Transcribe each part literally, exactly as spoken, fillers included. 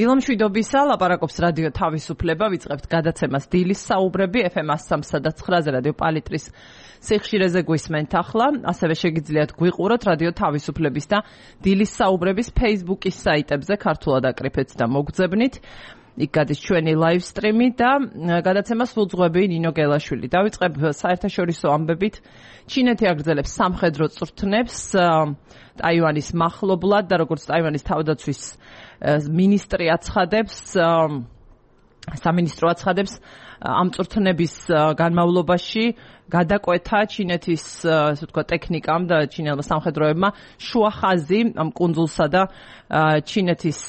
დილომშვიდობისა, ლაპარაკობს რადიო თავისუფლება, ვიწყებთ გადაცემას დილის საუბრები ეფ ემ one oh three point nine-ზე რადიო პალიტრის სიხშირეზე გვისმენთ ახლა, ასევე შეგიძლიათ გვიყუროთ რადიო თავისუფლების და დილის საუბრების Facebook-ის საიტებზე, ქართულად აკრიფეთ და მოგძებნით. იქ გადის ჩვენი live stream-ი და გადაცემას უძღვები ნინო გელაშვილი. დავიწყებ საერთაშორისო ამბებით. ჩინეთი აგრძელებს სამხედრო წვრთნებს ტაივანის მახლობლად და როგორც ტაივანის თავდაცვის მინისტრი აცხადებს, სამინისტრო აცხადებს, ამ წვრთნების განმავლობაში გადაკვეთა ჩინეთის, ასე ვთქვათ, ტექნიკამ და ჩინელმა სამხედროებმა შუა ხაზი ამ კუნძულსა და ჩინეთის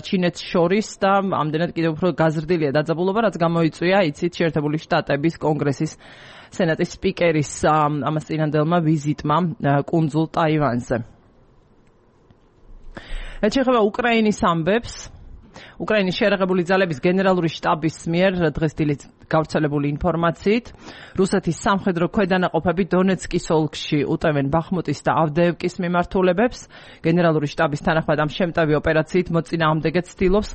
ჩინეთს შორის და ამდენად კიდევ უფრო გაზრდილია დაძაბულობა, რაც გამოიწვია, იცით, შეერთებული შტატების კონგრესის სენატის სპიკერის ამას წინანდელმა ვიზიტმა კუნძულ ტაივანზე. რაც შეეხება უკრაინის ამბებს, უკრაინის შეერაღებული ძალების გენერალური შტაბის მიერ დღეს დილით გავრცელებული ინფორმაციით, რუსეთის სამხედრო ქვედანაყოფები დონეცკის ოლქში უტევენ ბახმუტის და ავდეევკის მიმართულებებს. გენერალური შტაბის თანახმად ამ შემტევი ოპერაციით მოწინააღმდეგე ცდილობს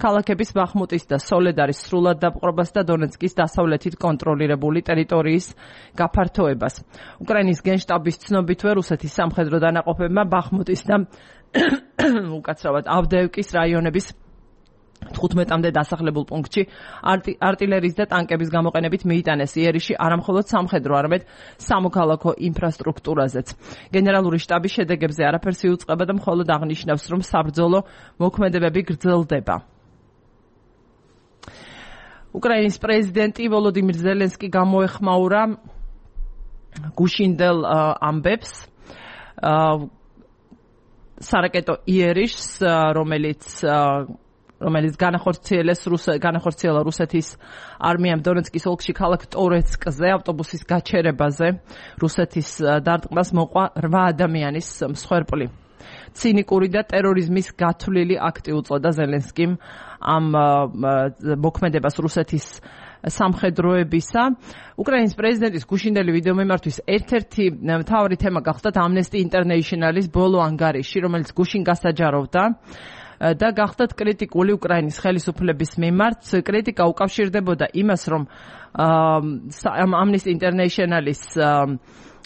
ქალაქების ბახმუტის და სოლედარის სრულად დაპყრობას და დონეცკის დასავლეთით კონტროლირებული ტერიტორიის გაფართოებას. უკრაინის გენშტაბის ცნობითვე რუსეთის სამხედრო დანაყოფებმა ბახმუტის და უკაცრავად ავდეევკის რაიონების თხუთმეტამდე დასახლებულ პუნქტში არტილერიის და ტანკების გამოყენებით მიიტანეს იერიში არამხოლოდ სამხედრო, არამედ სამოქალაქო ინფრასტრუქტურაზეც. გენერალური შტაბის შედეგებზე არაფერს იუწყება და მხოლოდ აღნიშნავს, რომ საბრძოლო მოქმედებები გრძელდება. უკრაინის პრეზიდენტი ვოლოდიმირ ზელენსკი გამოეხმაურა გუშინდელ ამბებს სარაკეტო იერიშს, რომელიც რომელიც განახორციელეს განახორციელა რუსეთის არმიამ დონეცკის ოლქში ქალაქ ტორეცკზე ავტობუსის გაჩერებაზე. რუსეთის დარტყმას მოყვა რვა ადამიანის მსხვერპლი. ცინიკური და ტერორიზმის გათვლილი აქტი უწოდა ზელენსკიმ ამ მოქმედებას რუსეთის სამხედროებისა. უკრაინის პრეზიდენტის გუშინდელი ვიდეომიმართვის ერთ-ერთი მთავარი თემა გახდა Amnesty International-ის ბოლო ანგარიში, რომელიც გუშინ გასაჯაროვდა და გახდათ კრიტიკული უკრაინის ხელისუფლების მიმართ. კრიტიკა უკავშირდებოდა იმას, რომ Amnesty International-ის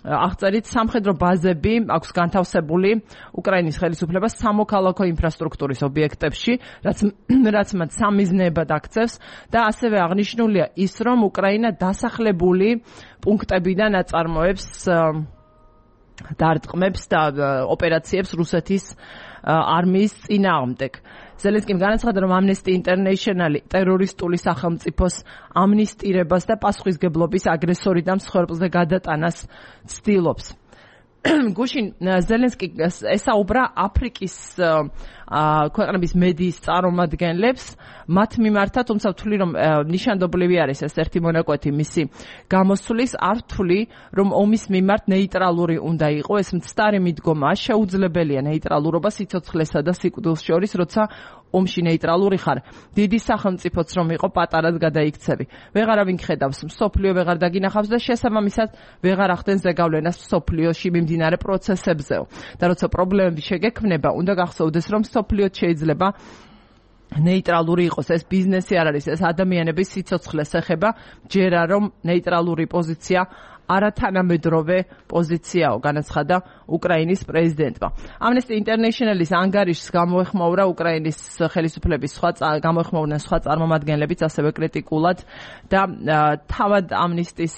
აღწერით სამხედრო ბაზები აქვს განთავსებული უკრაინის ხელისუფლებას სამოქალაქო ინფრასტრუქტურის ობიექტებში, რაც რაც მათ სამიზნეებად აქცევს და ასევე აღნიშნულია ის, რომ უკრაინა დასახლებული პუნქტებიდან აწარმოებს დარტყმებს და ოპერაციებს რუსეთის არმიის წინააღმდეგ. ზელენსკიმ განაცხადა, რომ Amnesty International ტერორისტული სახელმწიფოს ამნისტირებას და პასუხისგებლობის აგრესორიდან მსხვერპლზე გადატანას ცდილობს. გუშინ ზელენსკი ესაუბრა აფრიკის ქვეყნების მედიის წარმომადგენლებს მათ მიმართად, თუმცა ვთვლი, რომ ნიშანდობლივი არის ეს ერთი მონაკვეთი მისი გამოსვლის, არ ვთვლი, რომ ომის მიმართ ნეიტრალური უნდა იყო. ეს მცდარი მიდგომაა, შეუძლებელია ნეიტრალურობა სიცოცხლესა და სიკვდილს შორის, როცა ომში ნეიტრალური ხარ. დიდი სახელმწიფოც რომ იყო, პატარად გადაიქცევი. ვეღარავინ ხედავს, მსოფლიო ვეღარ დაგინახავს და შესაბამისად ვეღარ ახდენს ზეგავლენას მსოფლიოში მიმდინარე პროცესებზეო. და როცა პრობლემები შეგექმნება, უნდა გახსოვდეს, რომ მსოფლიო შეიძლება ნეიტრალური იყოს. ეს ბიზნესი არ არის, ეს ადამიანების სიცოცხლეს ეხება. ჯერა რომ ნეიტრალური პოზიცია არათანამედროვე პოზიციაო, განაცხადა უკრაინის პრეზიდენტმა. Amnesty International-ის ანგარიშს გამოეხმაურა უკრაინის ხელისუფლების სხვა გამოეხმაურნენ სხვა წარმომადგენლებიც ასევე კრიტიკულად და თავად ამნისტის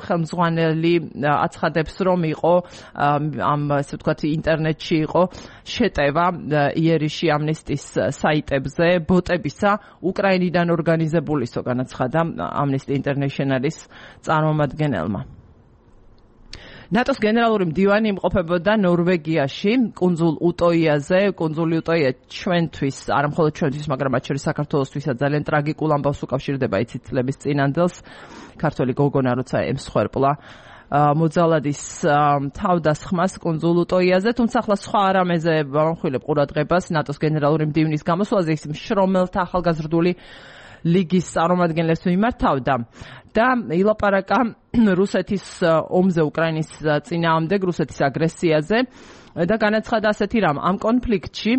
ხელმძღვანელი აცხადებს, რომ იყო ამ ასე ვთქვათ ინტერნეტში იყო შეტევა იერიში ამნისტის საიტებზე ბოტებისა უკრაინიდან ორგანიზებულისო, განაცხადა Amnesty International-ის წარმომადგენელმა. ნატოს გენერალური მდივანი იმყოფებოდა ნორვეგიაში, კუნძულ უტოიაზე. კუნძული უტოია ჩვენთვის, არა მხოლოდ ჩვენთვის, მაგრამ მათ შორის საქართველოსთვისაც ძალიან ტრაგიკულ ამბავს უკავშირდება, იცით, წლების წინანდელს. ქართველი გოგონა როცა ემსხვერპლა მოძალადის თავდასხმას კუნძულ უტოიაზე, თუმცა ახლა სხვა რამეზე ვამხვილებ ყურადღებას ნატოს გენერალური მდივნის გამოსვლაზე, ის მშრომელთა ახალგაზრდული ლიგის წარმომადგენლებს მიმართავდა და ილაპარაკა რუსეთის ომზე, უკრაინის წინააღმდეგ, რუსეთის აგრესიაზე. და განაცხადა ასეთი რამ, ამ კონფლიქტში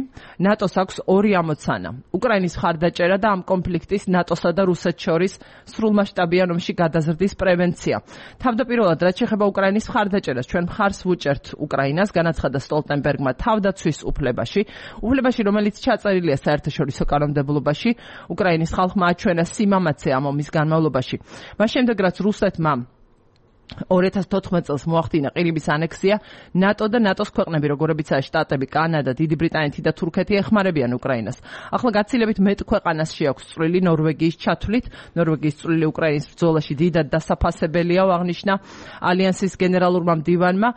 ნატოს აქვს ორი ამოცანა. უკრაინის მხარდაჭერა და ამ კონფლიქტის ნატოსა და რუსეთს შორის სრულმასშტაბიან ომში გადაზრდის პრევენცია. თავდაპირველად, რაც შეეხება უკრაინის მხარდაჭერას, ჩვენ მხარს ვუჭერთ უკრაინას, განაცხადა სტოლტენბერგმა თავდაცვის უფლებაში, უფლებაში, რომელიც ჩაწერილია საერთაშორისო კანონმდებლობაში, უკრაინის ხალხმა აჩვენა სიმამაცე ამ ომის განმავლობაში. მას შემდეგ, რაც რუსეთმა ორი ათას თოთხმეტ წელს მოახდინა ყირიმის ანექსია, ნატო და ნატოს ქვეყნები, როგორებიცაა შტატები, კანადა, დიდი ბრიტანეთი და თურქეთი ეხმარებიან უკრაინას. ახლა გაცილებით მეტ ქვეყანას შეაქვს წვლილი ნორვეგიის ჩათვლით. ნორვეგიის წვლილი უკრაინის ბრძოლაში დიდად დასაფასებელია, აღნიშნა ალიანსის გენერალურმა მდივანმა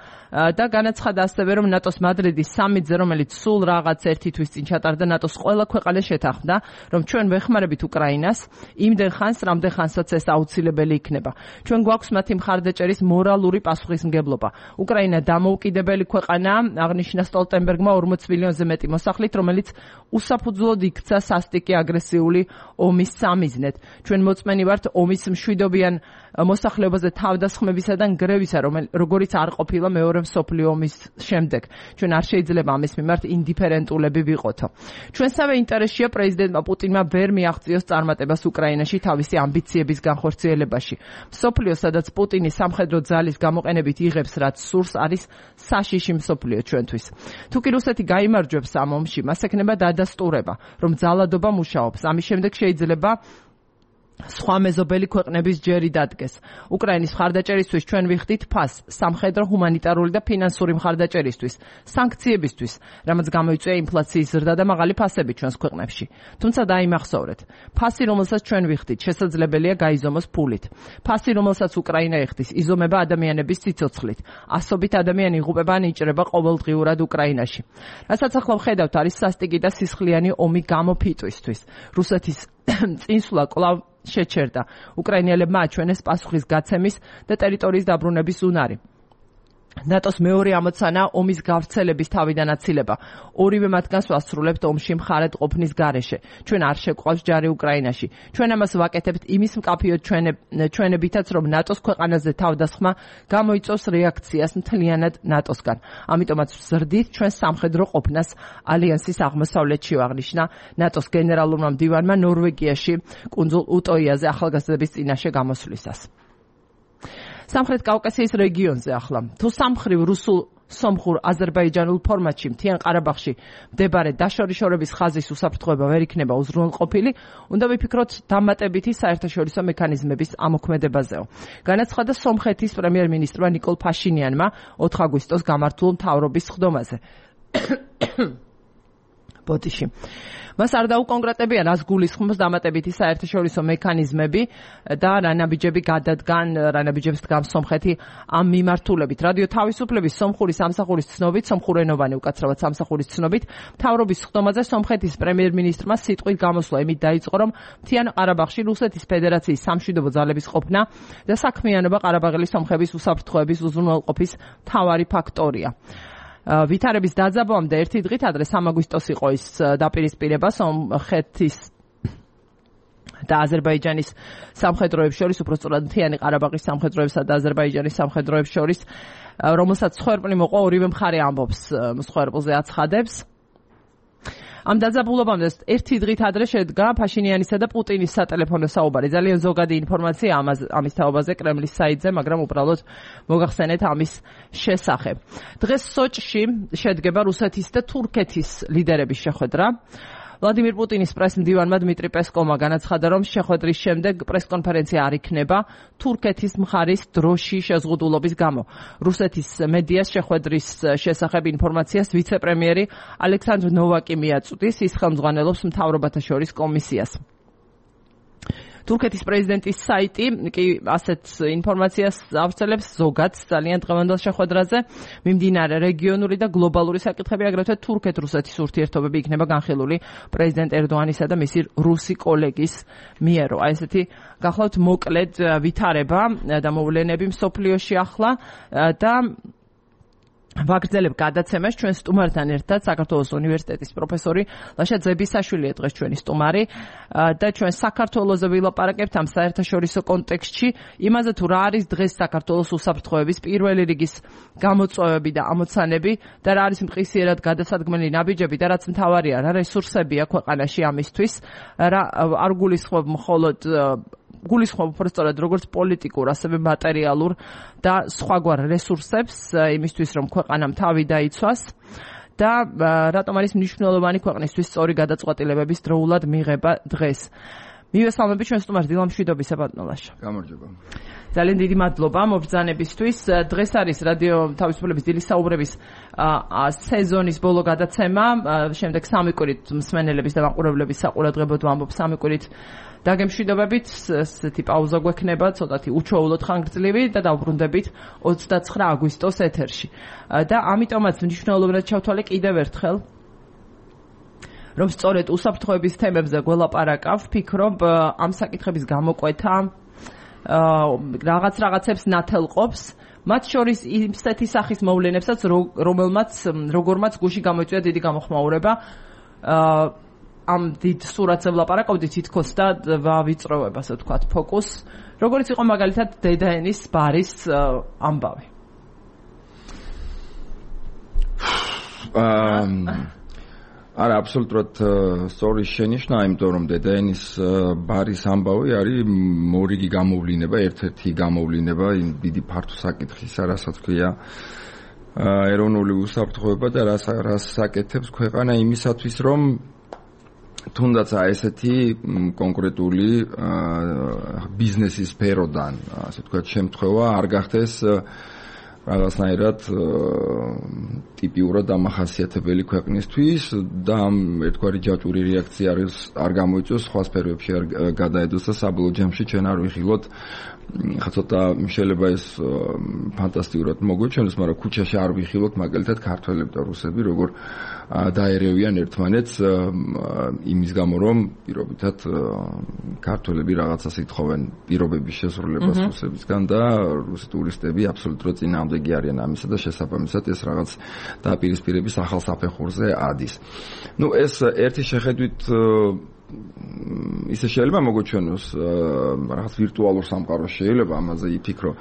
და განაცხადა ასევე, რომ ნატოს მადრიდის სამიტზე, რომელიც სულ რაღაც ერთი თვის წინ ჩატარდა, ნატოს ყველა ქვეყანა შეთანხმდა, რომ ჩვენ ვეხმარებით უკრაინას იმდენ ხანს, რამდენ ხანსაც ეს აუცილებელი იქნება. ჩვენ გვაქვს მათი მხარდაჭერა მორალური პასუხისმგებლობა. უკრაინა დამოუკიდებელი ქვეყანაა, აღნიშნა სტოლტენბერგმა ორმოც მილიონზე მეტი მოსახლით, რომელიც უსაფუძვლოდ იქცა სასტიკი აგრესიული ომის სამიზნედ. ჩვენ მოწმენი ვართ ომის მშვიდობიან მოსახლეობაზე თავდასხმებისა და ნგრევისა, როგორიც არ ყოფილა მეორე მსოფლიო ომის შემდეგ. ჩვენ არ შეიძლება ამის მიმართ ინდიფერენტულები ვიყოთო. ჩვენსავე ინტერესშია პრეზიდენტმა პუტინმა ვერ მიაღწიოს წარმატებას უკრაინაში თავისი ამბიციების განხორციელებაში. მსოფლიო, სადაც პუტინი სამხედრო ძალის გამოყენებით იღებს, რაც სურს, არის საშიში მსოფლიო ჩვენთვის. თუ კი რუსეთი გაიმარჯვებს ამ ომში, მას ექნება დადასტურება, რომ ძალადობა მუშაობს. ამის შემდეგ შეიძლება სხვა მეზობელი ქვეყნების ჯერი დადგეს. უკრაინის მხარდაჭერისთვის ჩვენ ვიხდით ფასს სამხედრო, ჰუმანიტარული და ფინანსური მხარდაჭერისთვის, სანქციებისთვის, რამაც გამოიწვია ინფლაციის ზრდა და მაღალი ფასები ჩვენს ქვეყნებში. თუმცა დაიმახსოვრეთ, ფასი, რომელსაც ჩვენ ვიხდით, შესაძლებელია გაიზომოს ფულით. ფასი, რომელსაც უკრაინა იხდის, იზომება ადამიანების სიცოცხლით. ასობით ადამიანი იღუპება ან იჭრება ყოველდღიურად უკრაინაში. რასაც ახლა ვხედავთ, არის სასტიკი და სისხლიანი ომი გამოფიტვისთვის. რუსეთის წინსვლა კვლავ შეჩერდა. უკრაინელებმა აჩვენეს პასუხის გაცემის და ტერიტორიის დაბრუნების უნარი. ნატოს მეორე ამოცანა ომის გავრცელების თავიდან აცილება. ორივე მათგანს ვასრულებთ ომში მხარეთ ყოფნის გარეშე. ჩვენ არ შეგვყავს ჯარი უკრაინაში. ჩვენ ამას ვაკეთებთ იმის მკაფიოდ ჩვენებითაც, რომ ნატოს ქვეყანაზე თავდასხმა გამოიწვევს რეაქციას მთლიანად ნატოსგან. ამიტომაც ვზრდით ჩვენ სამხედრო ყოფნას ალიანსის აღმოსავლეთში, აღნიშნა ნატოს გენერალურმა მდივანმა ნორვეგიაში კუნძულ უტოიაზე ახალგაზრდების წინაშე გამოსვლისას. სამხრეთ კავკასიის რეგიონზე ახლა. თუ სამხრივ რუსულ სომხურ აზერბაიჯანულ ფორმატში მთიან ყარაბაღში მდებარე დაშორიშორების ხაზის უსაფრთხოება ვერ იქნება უზრუნველყოფილი, უნდა ვიფიქროთ დამატებითი საერთაშორისო მექანიზმების ამოქმედებაზეო. განაცხადა სომხეთის პრემიერ-მინისტრმა ნიკოლ ფაშინიანმა ოთხ აგვისტოს გამართულ მთავრობის სხდომაზე. ბოდიში. მას არ დაუკონკრეტებია, რას გულისხმობს დამატებითი საერთაშორისო მექანიზმები და რა ნაბიჯები გადადგან, რა ნაბიჯებს დგამს სომხეთი ამ მიმართულებით. რადიო თავისუფლების სომხური სამსახურის ცნობით, სომხურენოვანი უკაცრავად სამსახურის ცნობით, მთავრობის სხდომაზე სომხეთის პრემიერ-მინისტრმა სიტყვით გამოსვლა იმით დაიწყო, რომ მთიან ყარაბაღში რუსეთის ფედერაციის სამშვიდობო ძალების ყოფნა და საქმიანობა ყარაბაღელი სომხების უსაფრთხოების უზრუნველყოფის მთავარი ფაქტორია. ვითარების დაძაბვამდე ერთი დღით ადრე სამ აგვისტოს იყო ის დაპირისპირება სომხეთის და აზერბაიჯანის სამხედროებს შორის, უпростоრად მთიანი ყარაბაღის სამხედროებსა და აზერბაიჯანის სამხედროებს შორის, რომელსაც მსხვერპლი მოყვა, ორივე მხარე ამბობს მსხვერპლზე აცხადებს. ამ დაძაბულობამდე ერთი დღით ადრე შედგა ფაშინიანისა და პუტინის სატელეფონო საუბარი. ძალიან ზოგადი ინფორმაცია ამის თაობაზე კრემლის საიტზე, მაგრამ უბრალოდ მოგახსენეთ ამის შესახებ. დღეს სოჭში შედგება რუსეთის და თურქეთის ლიდერების შეხვედრა. ვლადიმირ პუტინის პრესმდივანმა დმიტრი პესკოვმა განაცხადა, რომ შეხვედრის შემდეგ პრესკონფერენცია არ იქნება თურქეთის მხარის დროში შეზღუდულობის გამო. რუსეთის მედიას შეხვედრის შესახებ ინფორმაციას ვიცე-პრემიერი ალექსანდრ ნოვაკი მიაწვდის, ის ხელმძღვანელობს მთავრობათა შორის კომისიას. თურქეთის პრეზიდენტის საიტი კი ასეთ ინფორმაციას ავრცელებს ზოგადს ძალიან დღევანდელ შეხვედრაზე. მიმდინარე რეგიონული და გლობალური საკითხები, აგრეთვე თურქეთ-რუსეთის ურთიერთობები იქნება განხილული პრეზიდენტ ერდოანისა და მისი რუსი კოლეგის მიერო. აი ესეთი გახლავთ მოკლედ ვითარება და მოვლენები მსოფლიოში ახლა და ვაგრძელებ გადაცემას ჩვენ სტუმართან ერთად საქართველოს უნივერსიტეტის პროფესორი ლაშა ძებისაშვილია დღეს ჩვენი სტუმარი და ჩვენ საქართველოზე ვილაპარაკებთ ამ საერთაშორისო კონტექსტში იმაზე თუ რა არის დღეს საქართველოს უსაფრთხოების პირველი რიგის გამოწვევები და ამოცანები და რა არის მყისიერად გადასადგმელი ნაბიჯები და რაც მთავარია რა რესურსებია ქვეყანაში ამისთვის რა არ გულისხმობ მხოლოდ გულისხმობ უბრალოდ როგორც პოლიტიკურ, ასევე მატერიალურ და სხვაგვარ რესურსებს იმისთვის, რომ ქვეყანამ თავი დაიცვას და რატომ არის მნიშვნელოვანი ქვეყნისთვის სწორი გადაწყვეტილებების დროულად მიღება დღეს. მივესალმები ჩვენ სტუმარს დილა მშვიდობისა ბატონო ლაშა. გამარჯობა. ძალიან დიდი მადლობა მობრძანებისთვის. დღეს არის რადიო თავისუფლების დილის საუბრების სეზონის ბოლო გადაცემა. შემდეგ სამი კვირით მსმენელების და მაყურებლების საყურადღებოდ ვამბობ სამი კვირით დაგემშვიდობებით, ესეთი პაუზა გვექნება, ცოტათი უჩვეულოდ ხანგრძლივი და დავბრუნდებით ოცდაცხრა აგვისტოს ეთერში. და ამიტომაც მნიშვნელოვნად ჩავთვალე კიდევ ერთხელ რომ სწორედ უსაფრთხოების თემებზე გველაპარაკავ, ვფიქრობ ამ საკითხების გამოკვეთა რაღაც რაღაცებს ნათელყოფს, მათ შორის იმსეთი სახის მოვლენებსაც, რომელმაც როგორმაც გუში გამოიწვია დიდი გამოხმაურება ამ დიდ სურათზე ვლაპარაკობდი თითქოს და ვავიწროვებ, ასე ვთქვათ, ფოკუს. როგორც იყო მაგალითად დედაენის ბარის ამბავი. არა, აბსოლუტურად სწორი შენიშვნა, იმიტომ რომ დედაენის ბარის ამბავი არის მორიგი გამოვლინება, ერთ-ერთი გამოვლინება იმ დიდი ფართო საკითხისა, რასაც ქვია ეროვნული უსაფრთხოება და რას საკეთებს ქვეყანა იმისათვის, რომ თუნდაც ესეთი კონკრეტული ბიზნესის სფეროდან, ასე ვთქვათ, შემთხვევა არ გახდეს რაღაცნაირად ტიპიურად დამახასიათებელი ქვეყნისთვის და ერთგვარი ჯაჭვური რეაქცია არის არ გამოიწვევს, სხვა სფეროებში არ გადაედოს და საბოლოო ჯამში ჩვენ არ ვიხილოთ ხა ცოტა შეიძლება ეს ფანტასტიკურად მოგვეჩვენოს, მაგრამ ქუჩაში არ ვიხილოთ მაგალითად ქართველები და რუსები როგორ დაერევიან ერთმანეთს იმის გამო რომ პირობითად ქართველები რაღაცას ითხოვენ პირობების შესრულებას რუსებისგან და რუსი ტურისტები აბსოლუტურად წინააღმდეგი არიან ამისა და შესაბამისად ეს რაღაც დაპირისპირების ახალ საფეხურზე ადის. ნუ ეს ერთი შეხედვით ისე შეიძლება მოგვეჩვენოს რაღაც ვირტუალურ სამყაროს შეიძლება ამაზე იფიქრო,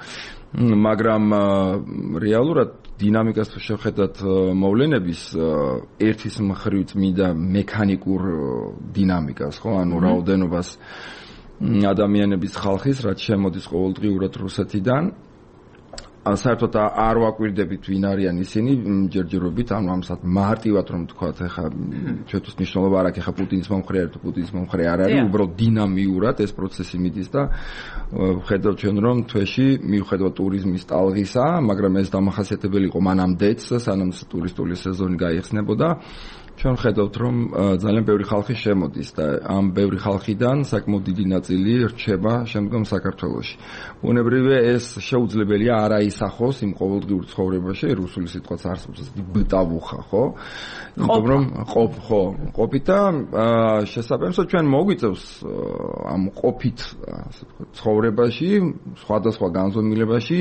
მაგრამ რეალურად დინამიკას თუ შევხედათ მოვლენების ერთის მხრივ წმინდა მექანიკურ დინამიკას, ხო, ანუ რაოდენობას ადამიანების ხალხის, რაც შემოდის ყოველდღიურად რუსეთიდან, საერთოდ არ ვაკვირდებით ვინ არიან ისინი ჯერჯერობით, ანუ ამასად მარტივად რომ თქვათ, ეხა ჩვენთვის მნიშვნელობა არ აქვს, ეხა პუტინის მომხრე არის თუ პუტინის მომხრე არ არის, უბრალოდ დინამიურად ეს პროცესი მიდის და ვხედავთ ჩვენ რომ თვეში მიუხედავად ტურიზმის ტალღისა, მაგრამ ეს დამახასიათებელი იყო მანამდეც, სანამ ტურისტული სეზონი გაიხსნებოდა, ჩვენ ხედავთ რომ ძალიან ბევრი ხალხი შემოდის და ამ ბევრი ხალხიდან საკმაოდ დიდი ნაწილი რჩება შემდგომ საქართველოში. უნებრივია ეს შეუძლებელია არ აისახოს იმ ყოველდღიურ ცხოვრებაში, რუსული სიტყვაც არსებობს ბტავუხა, ხო? იმიტომ რომ ყოფ, ხო, ყოფით და შესაბამისად ჩვენ მოგვიწევს ამ ყოფით, ასე ვთქვათ, ცხოვრებაში, სხვადასხვა განზომილებაში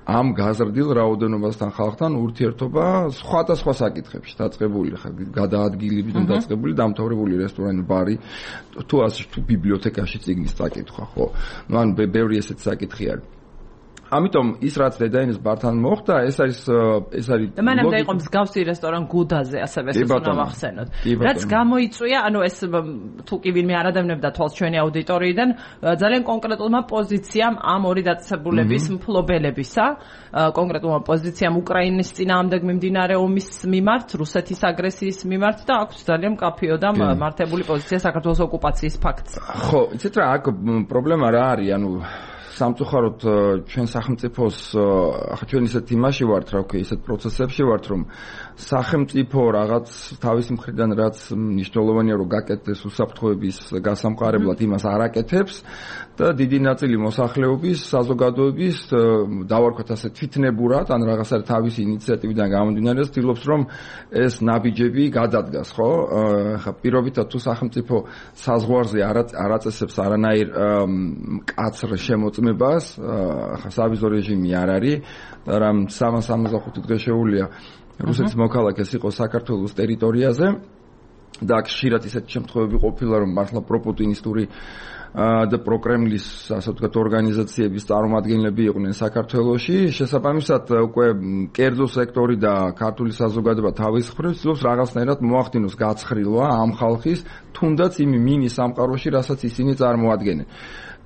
ამ გაზრდილ რაოდენობასთან ხალხთან ურთიერთობა სხვადასხვა საკითხებში დაწყებული ხა გადაადგილებით დაწყებული დამთავრებული რესტორანი, ბარი, თუ ასე თუ ბიბლიოთეკაში წიგნის წაკითხვა, ხო? ნუ ან ბევრი ესეთი საკითხი არის. ამიტომ ის რაც დედაენის ბართან მოხდა, ეს არის ეს არის მანამდე იყო მსგავსი რესტორან გუდაზე, ასევე ეს უნდა ვახსენოთ. რაც გამოიწვია, ანუ ეს თუ კი ვინმე არ ადევნებდა თვალს ჩვენი აუდიტორიიდან, ძალიან კონკრეტულმა პოზიციამ ამ ორი დაწესებულების მფლობელებისა, კონკრეტულმა პოზიციამ უკრაინის წინააღმდეგ მიმდინარე ომის მიმართ, რუსეთის აგრესიის მიმართ და აქვს ძალიან მკაფიო და მართებული პოზიცია საქართველოს ოკუპაციის ფაქტს. ხო, იცით რა, აქ პრობლემა რა არის, ანუ სამწუხაროდ ჩვენ სახელმწიფოს ახლა ჩვენ ისეთ იმაში ვართ, რა ვქი, ისეთ პროცესებში ვართ, რომ სახელმწიფო რაღაც თავისი მხრიდან რაც მნიშვნელოვანია რომ გაკეთდეს უსაფრთხოების გასამყარებლად იმას არ აკეთებს და დიდი ნაწილი მოსახლეობის, საზოგადოების დავარქვათ ასე თვითნებურად ან რაღაცა თავისი ინიციატივიდან გამომდინარე ცდილობს რომ ეს ნაბიჯები გადადგას, ხო? ახლა პირობითად თუ სახელმწიფო საზღვარზე არ აწესებს არანაირ მკაცრ შემოწმებას მოწმებას, ახლა სავიზო რეჟიმი არ არის და რამ სამას სამოცდახუთი დღე შეუძლია რუსეთის მოქალაქეს იყოს საქართველოს ტერიტორიაზე და აქ ხშირად ისეთი შემთხვევები ყოფილა, რომ მართლა პროპუტინისტური და პროკრემლის ასე ვთქვათ ორგანიზაციების წარმომადგენლები იყვნენ საქართველოში. შესაბამისად, უკვე კერძო სექტორი და ქართული საზოგადოება თავის მხრივ ცდილობს რაღაცნაირად მოახდინოს გაცხრილვა ამ ხალხის, თუნდაც იმ მინი სამყაროში, რასაც ისინი წარმოადგენენ.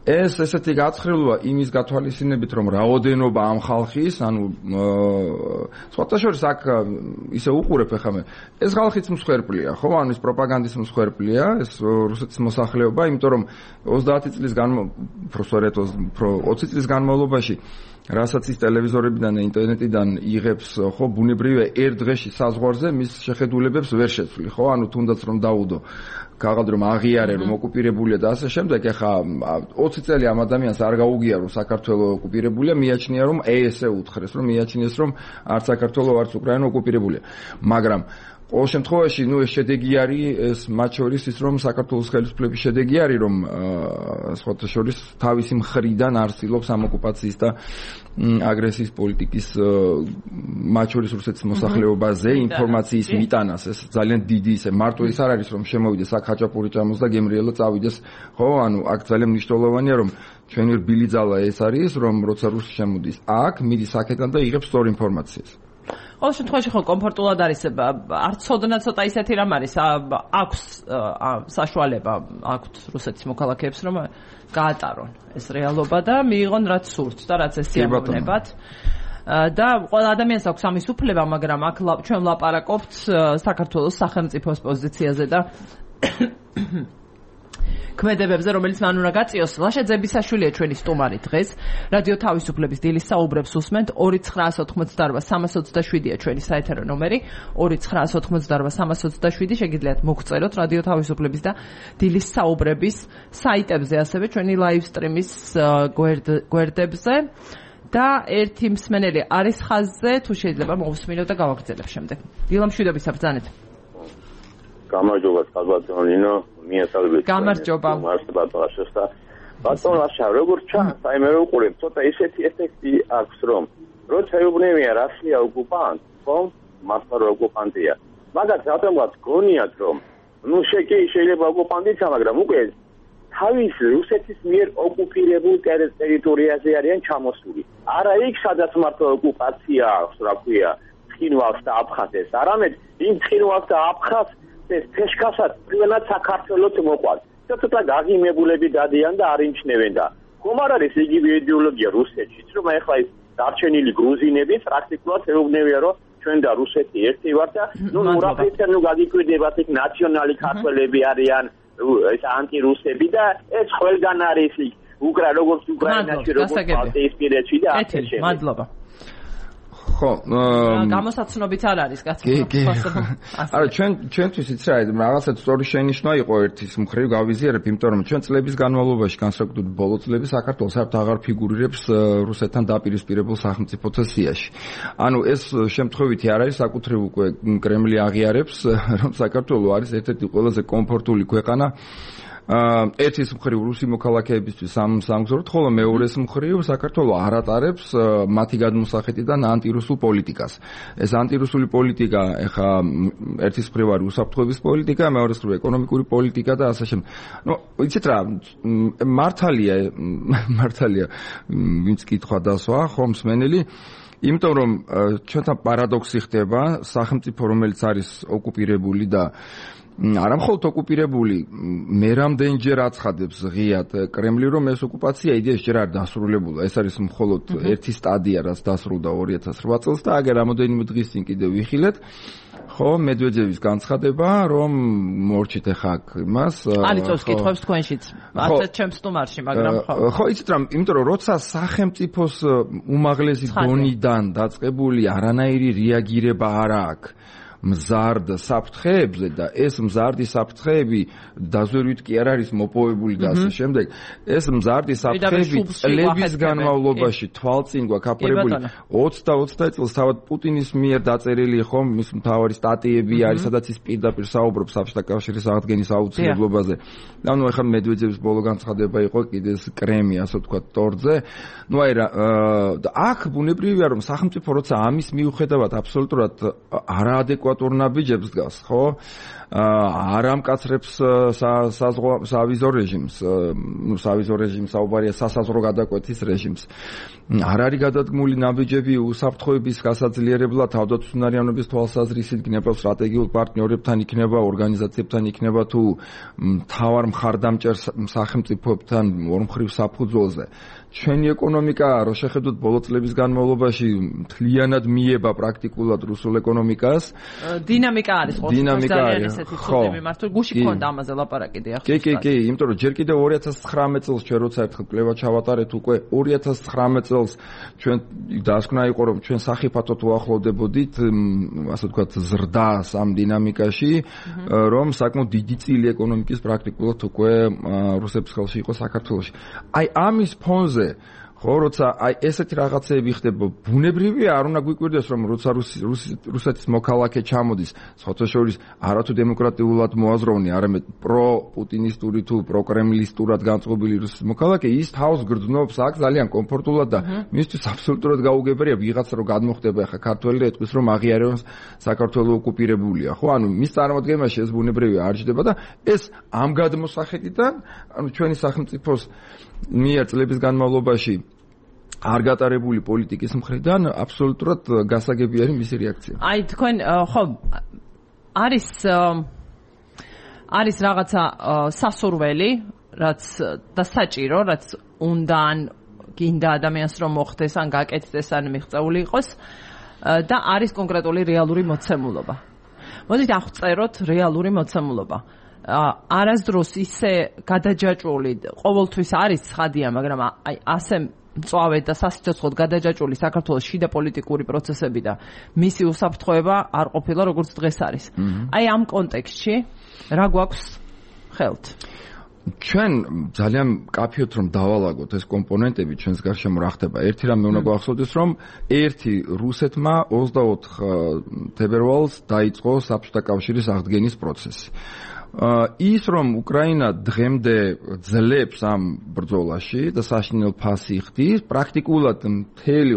ეს ესეთი გაცხრილვა იმის გათვალისწინებით, რომ რაოდენობა ამ ხალხის, ანუ სხვათა შორის აქ ისე უყურებ ახლა მე, ეს ხალხიც მსხვერპლია, ხო? ანუ ეს პროპაგანდის მსხვერპლია, ეს რუსეთის მოსახლეობა, იმიტომ რომ ოცდაათი წლის განმავლობაში, პროსორეთ ოცი წლის განმავლობაში რასაც ის ტელევიზორებიდან და ინტერნეტიდან იღებს, ხო, ბუნებრივია ერთ დღეში საზღვარზე მის შეხედულებებს ვერ შეცვლი, ხო? ანუ თუნდაც რომ დაუდო ქაღალდ რომ აღიარე რომ ოკუპირებულია და ასე შემდეგ, ეხა ოცი წელი ამ ადამიანს არ გაუგია რომ საქართველო ოკუპირებულია, მიაჩნია რომ ესე უთხრეს რომ მიაჩნიეს რომ არც საქართველო არც უკრაინა ოკუპირებულია. მაგრამ ყოველ შემთხვევაში, ნუ ეს შედეგი არის ეს მათ შორის ის რომ საქართველოს ხელისუფლების შედეგი არის რომ სხვათა შორის თავისი მხრიდან არ ცდილობს ამ ოკუპაციის და აგრესიის პოლიტიკის მათ შორის რუსეთის მოსახლეობაზე ინფორმაციის მიტანას. ეს ძალიან დიდი ისე მარტო ის არ არის რომ შემოვიდეს აქ ხაჭაპური ჭამოს და გემრიელა წავიდეს, ხო? ანუ აქ ძალიან მნიშვნელოვანია რომ ჩვენი რბილი ძალა ეს არის რომ როცა რუსი შემოდის აქ, მიდის აქედან და იღებს სწორ ინფორმაციას. ყოველ შემთხვევაში ხო კომფორტულად არის, არც ცოდნა ცოტა ისეთი რამ არის, აქვს საშუალება აქვთ რუსეთის მოქალაქეებს რომ გაატარონ ეს რეალობა და მიიღონ რაც სურთ და რაც ეს სიამოვნებათ. და ყველა ადამიანს აქვს ამის უფლება, მაგრამ აქ ჩვენ ვლაპარაკობთ საქართველოს სახელმწიფოს პოზიციაზე და ქმედებებზე, რომელიც მან უნდა გაწიოს. ლაშა ძებისაშვილია ჩვენი სტუმარი დღეს. რადიო თავისუფლების დილის საუბრებს უსმენთ. ორი ცხრაასი ოცდაოთხმოცდაარბა სამას ოცდაშვიდია ჩვენი საეთერო ნომერი. ორი ცხრაასი ოცდაოთხმოცდაარბა სამას ოცდაშვიდი შეგიძლიათ მოგწეროთ რადიო თავისუფლების და დილის საუბრების საიტებზე, ასევე ჩვენი ლაივ სტრიმის გვერდებზე. და ერთი მსმენელი არის ხაზზე, თუ შეიძლება მოვუსმინოთ და გავაგრძელებ შემდეგ. დილა მშვიდობისა ბრძანეთ. გამარჯობა საბატონო ნინო, მიესალმებით. გამარჯობა. მარსაბატონაშეს და ბატონო აშა, როგორც ჩანს, აი მე ვუყურებ, ცოტა ისეთი ეფექტი აქვს, რომ როცა ეუბნებია რასია ოკუპანტ, ხო? მართლა ოკუპანტია. მაგათ რატომღაც გონიათ, რომ ნუ შეგი შეიძლება ოკუპანტიცა, მაგრამ უკვე თავის რუსეთის მიერ ოკუპირებულ ტერიტორიაზე არიან ჩამოსული. არა იქ, სადაც მართლა ოკუპაცია აქვს, რა ქვია, ცხინვალს და აფხაზეთს, არამედ იმ ცხინვალს და აფხაზს ეს თეშკასაც პირველად საქართველოს მოყვარს. ცოტა გაღიმებულები დადიან და არ იმჩნევენ და ხომ არ არის იგივე იდეოლოგია რუსეთშიც, რომ ახლა ეს დარჩენილი გრუზინები პრაქტიკულად ეუბნებიან, რომ ჩვენ და რუსეთი ერთი ვართ და ნუ ნურაფეთენ ნუ გაგიკვირდებათ იქ ნაციონალი ქართველები არიან, ეს ანტირუსები და ეს ყველგან არის იქ უკრა როგორც უკრაინაში როგორც ბალტიისპირეთში და ასე შემდეგ. მადლობა. ხო, გამოსაცნობიც არ არის კაცო. არა, ჩვენ ჩვენთვის იცი რა, რაღაცა სწორი შენიშვნა იყო ერთის მხრივ გავიზიარებ, იმიტომ რომ ჩვენ წლების განმავლობაში, განსაკუთრებით ბოლო წლების საქართველოს საერთოდ აღარ ფიგურირებს რუსეთთან დაპირისპირებულ სახელმწიფოთა სიაში. ანუ ეს შემთხვევითი არ არის, საკუთრივ უკვე კრემლი აღიარებს, რომ საქართველო არის ერთ-ერთი ყველაზე კომფორტული ქვეყანა ერთის მხრივ რუსი მოქალაქეებისთვის სამ სამგზავროდ, ხოლო მეორეს მხრივ საქართველო არ ატარებს მათი გადმოსახედიდან ანტირუსულ პოლიტიკას. ეს ანტირუსული პოლიტიკა ეხა ერთის მხრივ არის უსაფრთხოების პოლიტიკა, მეორეს მხრივ ეკონომიკური პოლიტიკა და ასე შემდეგ. ნუ იცით რა, მართალია მართალია ვინც კითხვა დასვა, ხო მსმენელი, იმიტომ რომ ჩვენთან პარადოქსი ხდება, სახელმწიფო რომელიც არის ოკუპირებული და არა მხოლოდ ოკუპირებული, მე რამდენჯერ აცხადებს ღიად კრემლი, რომ ეს ოკუპაცია იდეაში ჯერ არ დასრულებულა. ეს არის მხოლოდ ერთი სტადია, რაც დასრულდა ორი ათას რვა წელს და აგერ რამოდენიმე დღის წინ კიდევ ვიხილეთ. ხო, მედვედევის განცხადება, რომ მორჩით ახლა იმას. არიწევს კითხვებს თქვენშიც. ასეთ ჩემს სტუმარში, მაგრამ ხო. ხო, იცით რა, იმიტომ რომ როცა სახელმწიფოს უმაღლესი დონიდან დაწყებული არანაირი რეაგირება არ აქვს მზარდ საფრთხეებზე და ეს მზარდი საფრთხეები დაზვერვით კი არ არის მოპოვებული და ასე შემდეგ. ეს მზარდი საფრთხეები წლების განმავლობაში თვალწინ გვაქვს აფორებული ოცი და ოცდაათი წელს თავად პუტინის მიერ დაწერილი ხომ მის მთავარი სტატიები არის, სადაც ის პირდაპირ საუბრობს საბჭოთა კავშირის აღდგენის აუცილებლობაზე. ანუ ახლა მედვედევის ბოლო განცხადება იყო კიდე ეს კრემი, ასე ვთქვათ, ტორზე. ნუ აი რა აქ ბუნებრივია რომ სახელმწიფო როცა ამის მიუხედავად აბსოლუტურად არაადეკვატურ ნაბიჯებს დგას, ხო? არ ამკაცრებს სავიზო რეჟიმს, ნუ სავიზო რეჟიმს საუბარია სასაზღვრო გადაკვეთის რეჟიმს. არ არის გადადგმული ნაბიჯები უსაფრთხოების გასაძლიერებლად თავდაცვისუნარიანობის თვალსაზრისით, იქნება სტრატეგიულ პარტნიორებთან, იქნება ორგანიზაციებთან, იქნება თუ მთავარ მხარდამჭერ სახელმწიფოებთან ორმხრივ საფუძველზე. ჩვენი ეკონომიკა, რო შეხედოთ ბოლო წლების განმავლობაში, მთლიანად მიება პრაქტიკულად რუსულ ეკონომიკას. დინამიკა არის ხო? დინამიკა არის. ხო, მართლა გუში ქონდა ამაზე ლაპარაკი დიახ. კი, კი, კი, იმიტომ რომ ჯერ კიდევ ორი ათას ცხრამეტ წელს ჩვენ როცა ერთხელ კვლევა ჩავატარეთ უკვე ორი ათას ცხრამეტ წელს ჩვენ დასკვნა იყო რომ ჩვენ სახიფათოდ უახლოვდებოდით, ასე ვთქვათ, ზრდას ამ დინამიკაში, რომ საკმაოდ დიდი წილი ეკონომიკის პრაქტიკულად უკვე რუსების ხელში იყო საქართველოში. აი ამის ფონზე ხო, როცა აი ესეთი რაღაცეები ხდება, ბუნებრივია არ უნდა გვიკვირდეს რომ როცა რუსეთის მოქალაქე ჩამოდის, სხვათა შორის არათუ დემოკრატიულად მოაზროვნე, არამედ პრო-პუტინისტური თუ პრო-კრემლისტურად განწყობილი რუსეთის მოქალაქე, ის თავს გრძნობს აქ ძალიან კომფორტულად და მისთვის აბსოლუტურად გაუგებარია ვიღაცა რომ გადმოხდება ახლა ქართველი და ეთქვის რომ აღიარებს საქართველო ოკუპირებულია, ხო? ანუ მის წარმოადგენაში ეს ბუნებრივია არ ჯდება და ეს ამ გადმოსახედიდან, ანუ ჩვენი სახელმწიფოს მიერ წლების განმავლობაში არ გატარებული პოლიტიკის მხრიდან აბსოლუტურად გასაგები არის მისი რეაქცია. აი თქვენ ხო არის არის რაღაცა სასურველი, რაც და საჭირო, რაც უნდა ან გინდა ადამიანს რომ მოხდეს, ან გაკეთდეს, ან მიღწეული იყოს და არის კონკრეტული რეალური მოცემულობა. მოდით აღწეროთ რეალური მოცემულობა. არასდროს ისე გადაჯაჭვული ყოველთვის არის ცხადია, მაგრამ აი ასე მწვავედ და სასიცოცხლოდ გადაჯაჭვული საქართველოს შიდა პოლიტიკური პროცესები და მისი უსაფრთხოება არ ყოფილა როგორც დღეს არის. აი ამ კონტექსტში რა გვაქვს ხელთ? ჩვენ ძალიან მკაფიოთ რომ დავალაგოთ ეს კომპონენტები ჩვენს გარშემო რა ხდება. ერთი რამე უნდა გვახსოვდეს რომ ერთი რუსეთმა ოცდაოთხ თებერვალს დაიწყო საბჭოთა კავშირის აღდგენის პროცესი. ის რომ უკრაინა დღემდე ძლებს ამ ბრძოლაში და საშინელ ფასი ხდის, პრაქტიკულად მთელი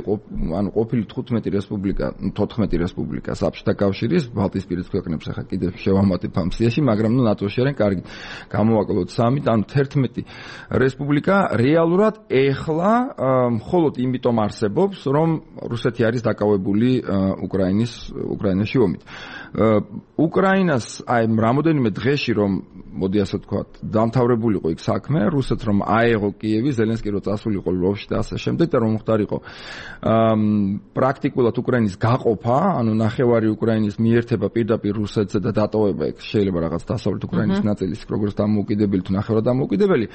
ანუ ყოფილი თხუთმეტი რესპუბლიკა, თოთხმეტი რესპუბლიკა საბჭოთა კავშირის ბალტიისპირეთის ქვეყნებს ახლა კიდევ შევამატებ ამ სიაში, მაგრამ ნუ ნატოში არიან, კარგი. გამოვაკლოთ სამი, ანუ თერთმეტი რესპუბლიკა რეალურად ეხლა მხოლოდ იმიტომ არსებობს, რომ რუსეთი არის დაკავებული უკრაინის უკრაინაში ომით. უკრაინას აი რამოდენიმე დღეში რომ მოდი ასე ვთქვათ, დამთავრებულიყო იქ საქმე, რუსეთს რომ აეღო კიევი, ზელენსკი რო წასულიყო ლვოვში და ასე შემდეგ და რომ მოხდარიყო პრაქტიკულად უკრაინის გაყოფა, ანუ ნახევარი უკრაინის მიერთება პირდაპირ რუსეთზე და დატოვება იქ შეიძლება რაღაც დასავლეთ უკრაინის ნაწილის როგორც დამოუკიდებელი თუ ნახევრად დამოუკიდებელი.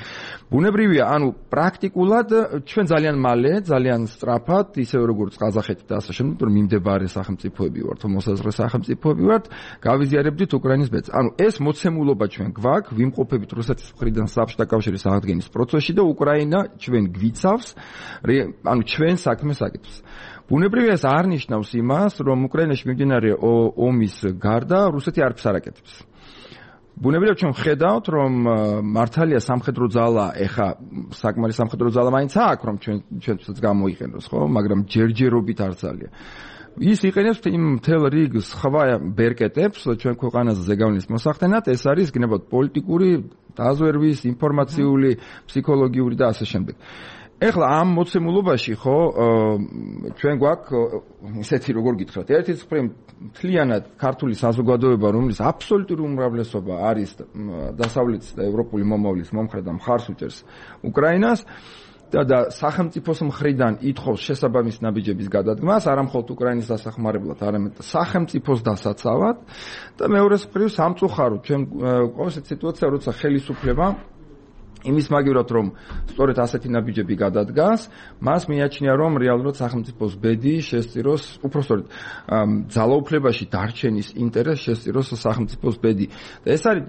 ბუნებრივია, ანუ პრაქტიკულად ჩვენ ძალიან მალე, ძალიან სწრაფად, ისევე როგორც ყაზახეთი და ასე შემდეგ, რომ მიმდებარე სახელმწიფოები ვართ, მოსაზღვრე სახელმწიფოები ვართ, გავიზიარებდით უკრაინის ბედს. ანუ ეს მოცემულობა ჩვენ გვაქვს, ვიმყოფებით რუსეთის მხრიდან საბჭოთა კავშირის აღდგენის პროცესში და უკრაინა ჩვენ გვიცავს, ანუ ჩვენ საქმეს აკეთებს. ბუნებრივია ეს არ ნიშნავს იმას, რომ უკრაინაში მიმდინარე ომის გარდა რუსეთი არაფერს არ აკეთებს. ბუნებრივია ჩვენ ხედავთ, რომ მართალია სამხედრო ძალა, ეხა საკმარის სამხედრო ძალა მაინც აქვს, რომ ჩვენ ჩვენთვის გამოიყენოს, ხო, მაგრამ ჯერჯერობით არ ძალია. ის იყენებს იმ მთელ რიგ სხვა ბერკეტებს ჩვენ ქვეყანაზე ზეგავლენის მოსახდენად, ეს არის გნებად პოლიტიკური, დაზვერვის, ინფორმაციული, ფსიქოლოგიური და ასე შემდეგ. ეხლა ამ მოცემულობაში ხო ჩვენ გვაქვს ისეთი როგორ გითხრათ, ერთის მხრივ მთლიანად ქართული საზოგადოება, რომლის აბსოლუტური უმრავლესობა არის დასავლეთის და ევროპული მომავლის მომხრე და მხარს უჭერს უკრაინას და სახელმწიფოს მხრიდან ითხოვს შესაბამის ნაბიჯების გადადგმას, არა მხოლოდ უკრაინის დასახმარებლად, არამედ სახელმწიფოს დასაცავად და მეორე მხრივ სამწუხაროდ ჩვენ ყოველთვის სიტუაცია, როცა ხელისუფლება იმის მაგივრად რომ სწორედ ასეთი ნაბიჯები გადადგას, მას მიაჩნია რომ რეალურად სახელმწიფოს ბედი შესწიროს, უпростоრედ ძალაუფლებაში დარჩენის ინტერესს შესწიროს სახელმწიფოს ბედი. და ეს არის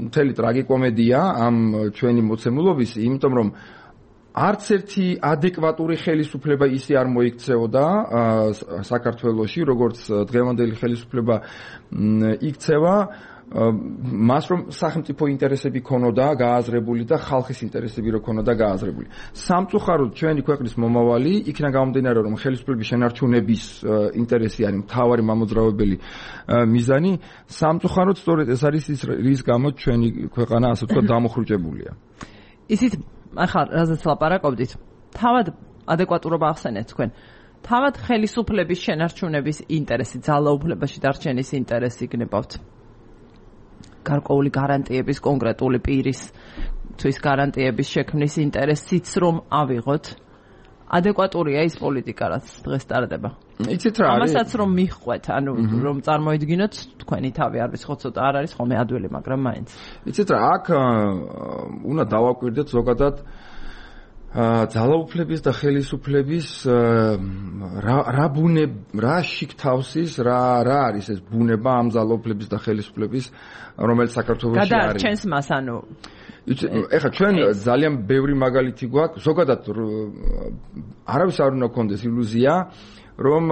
მთელი ტრაგიკომედია ამ ჩვენი მოცემულობის, იმიტომ რომ არც ერთი ადეკვატური ხელისუფლება ისე არ მოიქცეოდა საქართველოში, როგორც დღევანდელი ხელისუფლება იქცევა, მას რომ სახელმწიფო ინტერესები ქონოდა გააზრებული და ხალხის ინტერესები რო ქონოდა გააზრებული. სამწუხაროდ ჩვენი ქვეყნის მომავალი იქნა გამომდინარე რომ ხელისუფლების შენარჩუნების ინტერესი არის მთავარი მამოძრავებელი მიზანი, სამწუხაროდ სწორედ ეს არის ის რის გამო ჩვენი ქვეყანა ასე ვთქვათ დამოხრუჭებულია. ისიც ახლა რაზეც ლაპარაკობდით, თავად ადეკვატურობა ახსენეთ თქვენ. თავად ხელისუფლების შენარჩუნების ინტერესი, ძალაუფლებაში დარჩენის ინტერესი გნებავთ. გარკვეული გარანტიების, კონკრეტული პირის თვის გარანტიების შექმნის ინტერესიც რომ ავიღოთ. ადეკვატურია ის პოლიტიკა, რაც დღეს ტარდება. იცით რა არის? ამასაც რომ მიხვეთ, ანუ რომ წარმოიდგინოთ თქვენი თავი არ ვიცი ხო ცოტა არ არის ხოლმე ადვილი, მაგრამ მაინც. იცით რა, აქ უნდა დავაკვირდეთ ზოგადად ძალაუფლების და ხელისუფლების რა რა ბუნე რა შიგთავსის რა რა არის ეს ბუნება ამ ძალაუფლების და ხელისუფლების რომელიც საქართველოში არის. გადაარჩენს მას ანუ ეხლა ჩვენ ძალიან ბევრი მაგალითი გვაქვს ზოგადად არავის არ უნდა გქონდეს ილუზია რომ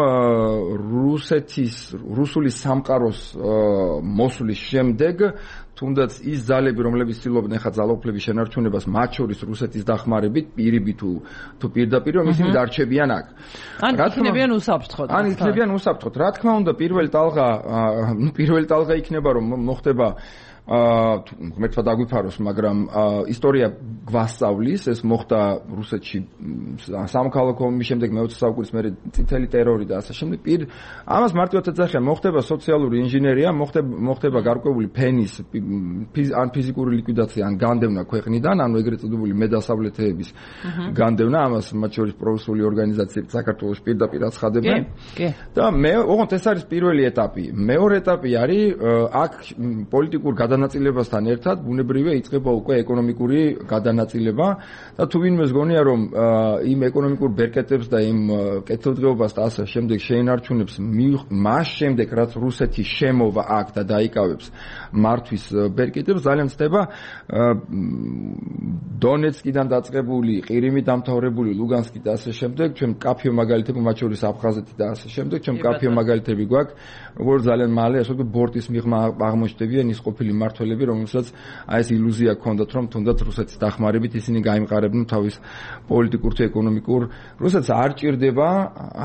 რუსეთის რუსული სამყაროს მოსვლის შემდეგ თუნდაც ის ძალები რომლებიც ცდილობდნენ ხა ძალაუფლების შენარჩუნებას მათ შორის რუსეთის დახმარებით პირები თუ თუ პირდაპირ რომ ისინი დარჩებიან აქ. ან იქნებიან უსაფრთხოდ. ან იქნებიან უსაფრთხოდ. რა თქმა უნდა პირველი ტალღა ნუ პირველი ტალღა იქნება რომ მოხდება აა ღმერთმა დაგვიფაროს, მაგრამ ისტორია გვასწავლის, ეს მოხდა რუსეთში სამოქალაქო ომის შემდეგ მეოცე საუკუნის მერე წითელი ტერორი და ასე შემდეგ. პირ ამას მარტივად ეძახიან, მოხდება სოციალური ინჟინერია, მოხდება მოხდება გარკვეული ფენის ან ფიზიკური ლიკვიდაცია, ან განდევნა ქვეყნიდან, ანუ ეგრეთ წოდებული მედასავლეთეების განდევნა, ამას მათ შორის პრორუსული ორგანიზაციები საქართველოს პირდაპირ აცხადებენ. და მე ოღონდ ეს არის პირველი ეტაპი. მეორე ეტაპი არის აქ პოლიტიკურ გადანაწილებასთან ერთად ბუნებრივია იწყება უკვე ეკონომიკური გადანაწილება და თუ ვინმეს გონია რომ იმ ეკონომიკურ ბერკეტებს და იმ კეთილდღეობას და ასე შემდეგ შეინარჩუნებს მას შემდეგ რაც რუსეთი შემოვა აქ და დაიკავებს მართვის ბერკეტებს ძალიან ცდება დონეცკიდან დაწყებული ყირიმი დამთავრებული ლუგანსკი და ასე შემდეგ ჩვენ კაფიო მაგალითები მათ შორის აფხაზეთი და ასე შემდეგ ჩვენ კაფიო მაგალითები გვაქვს როგორც ძალიან მალე ასე ვთქვათ ბორტის მიღმა აღმოჩნდებიან ის ყოფილი მართველები რომელსაც აი ეს ილუზია ჰქონდათ რომ თუნდაც რუსეთის დახმარებით ისინი გაიმყარებდნენ თავის პოლიტიკურ თუ ეკონომიკურ რუსეთს არ ჭირდება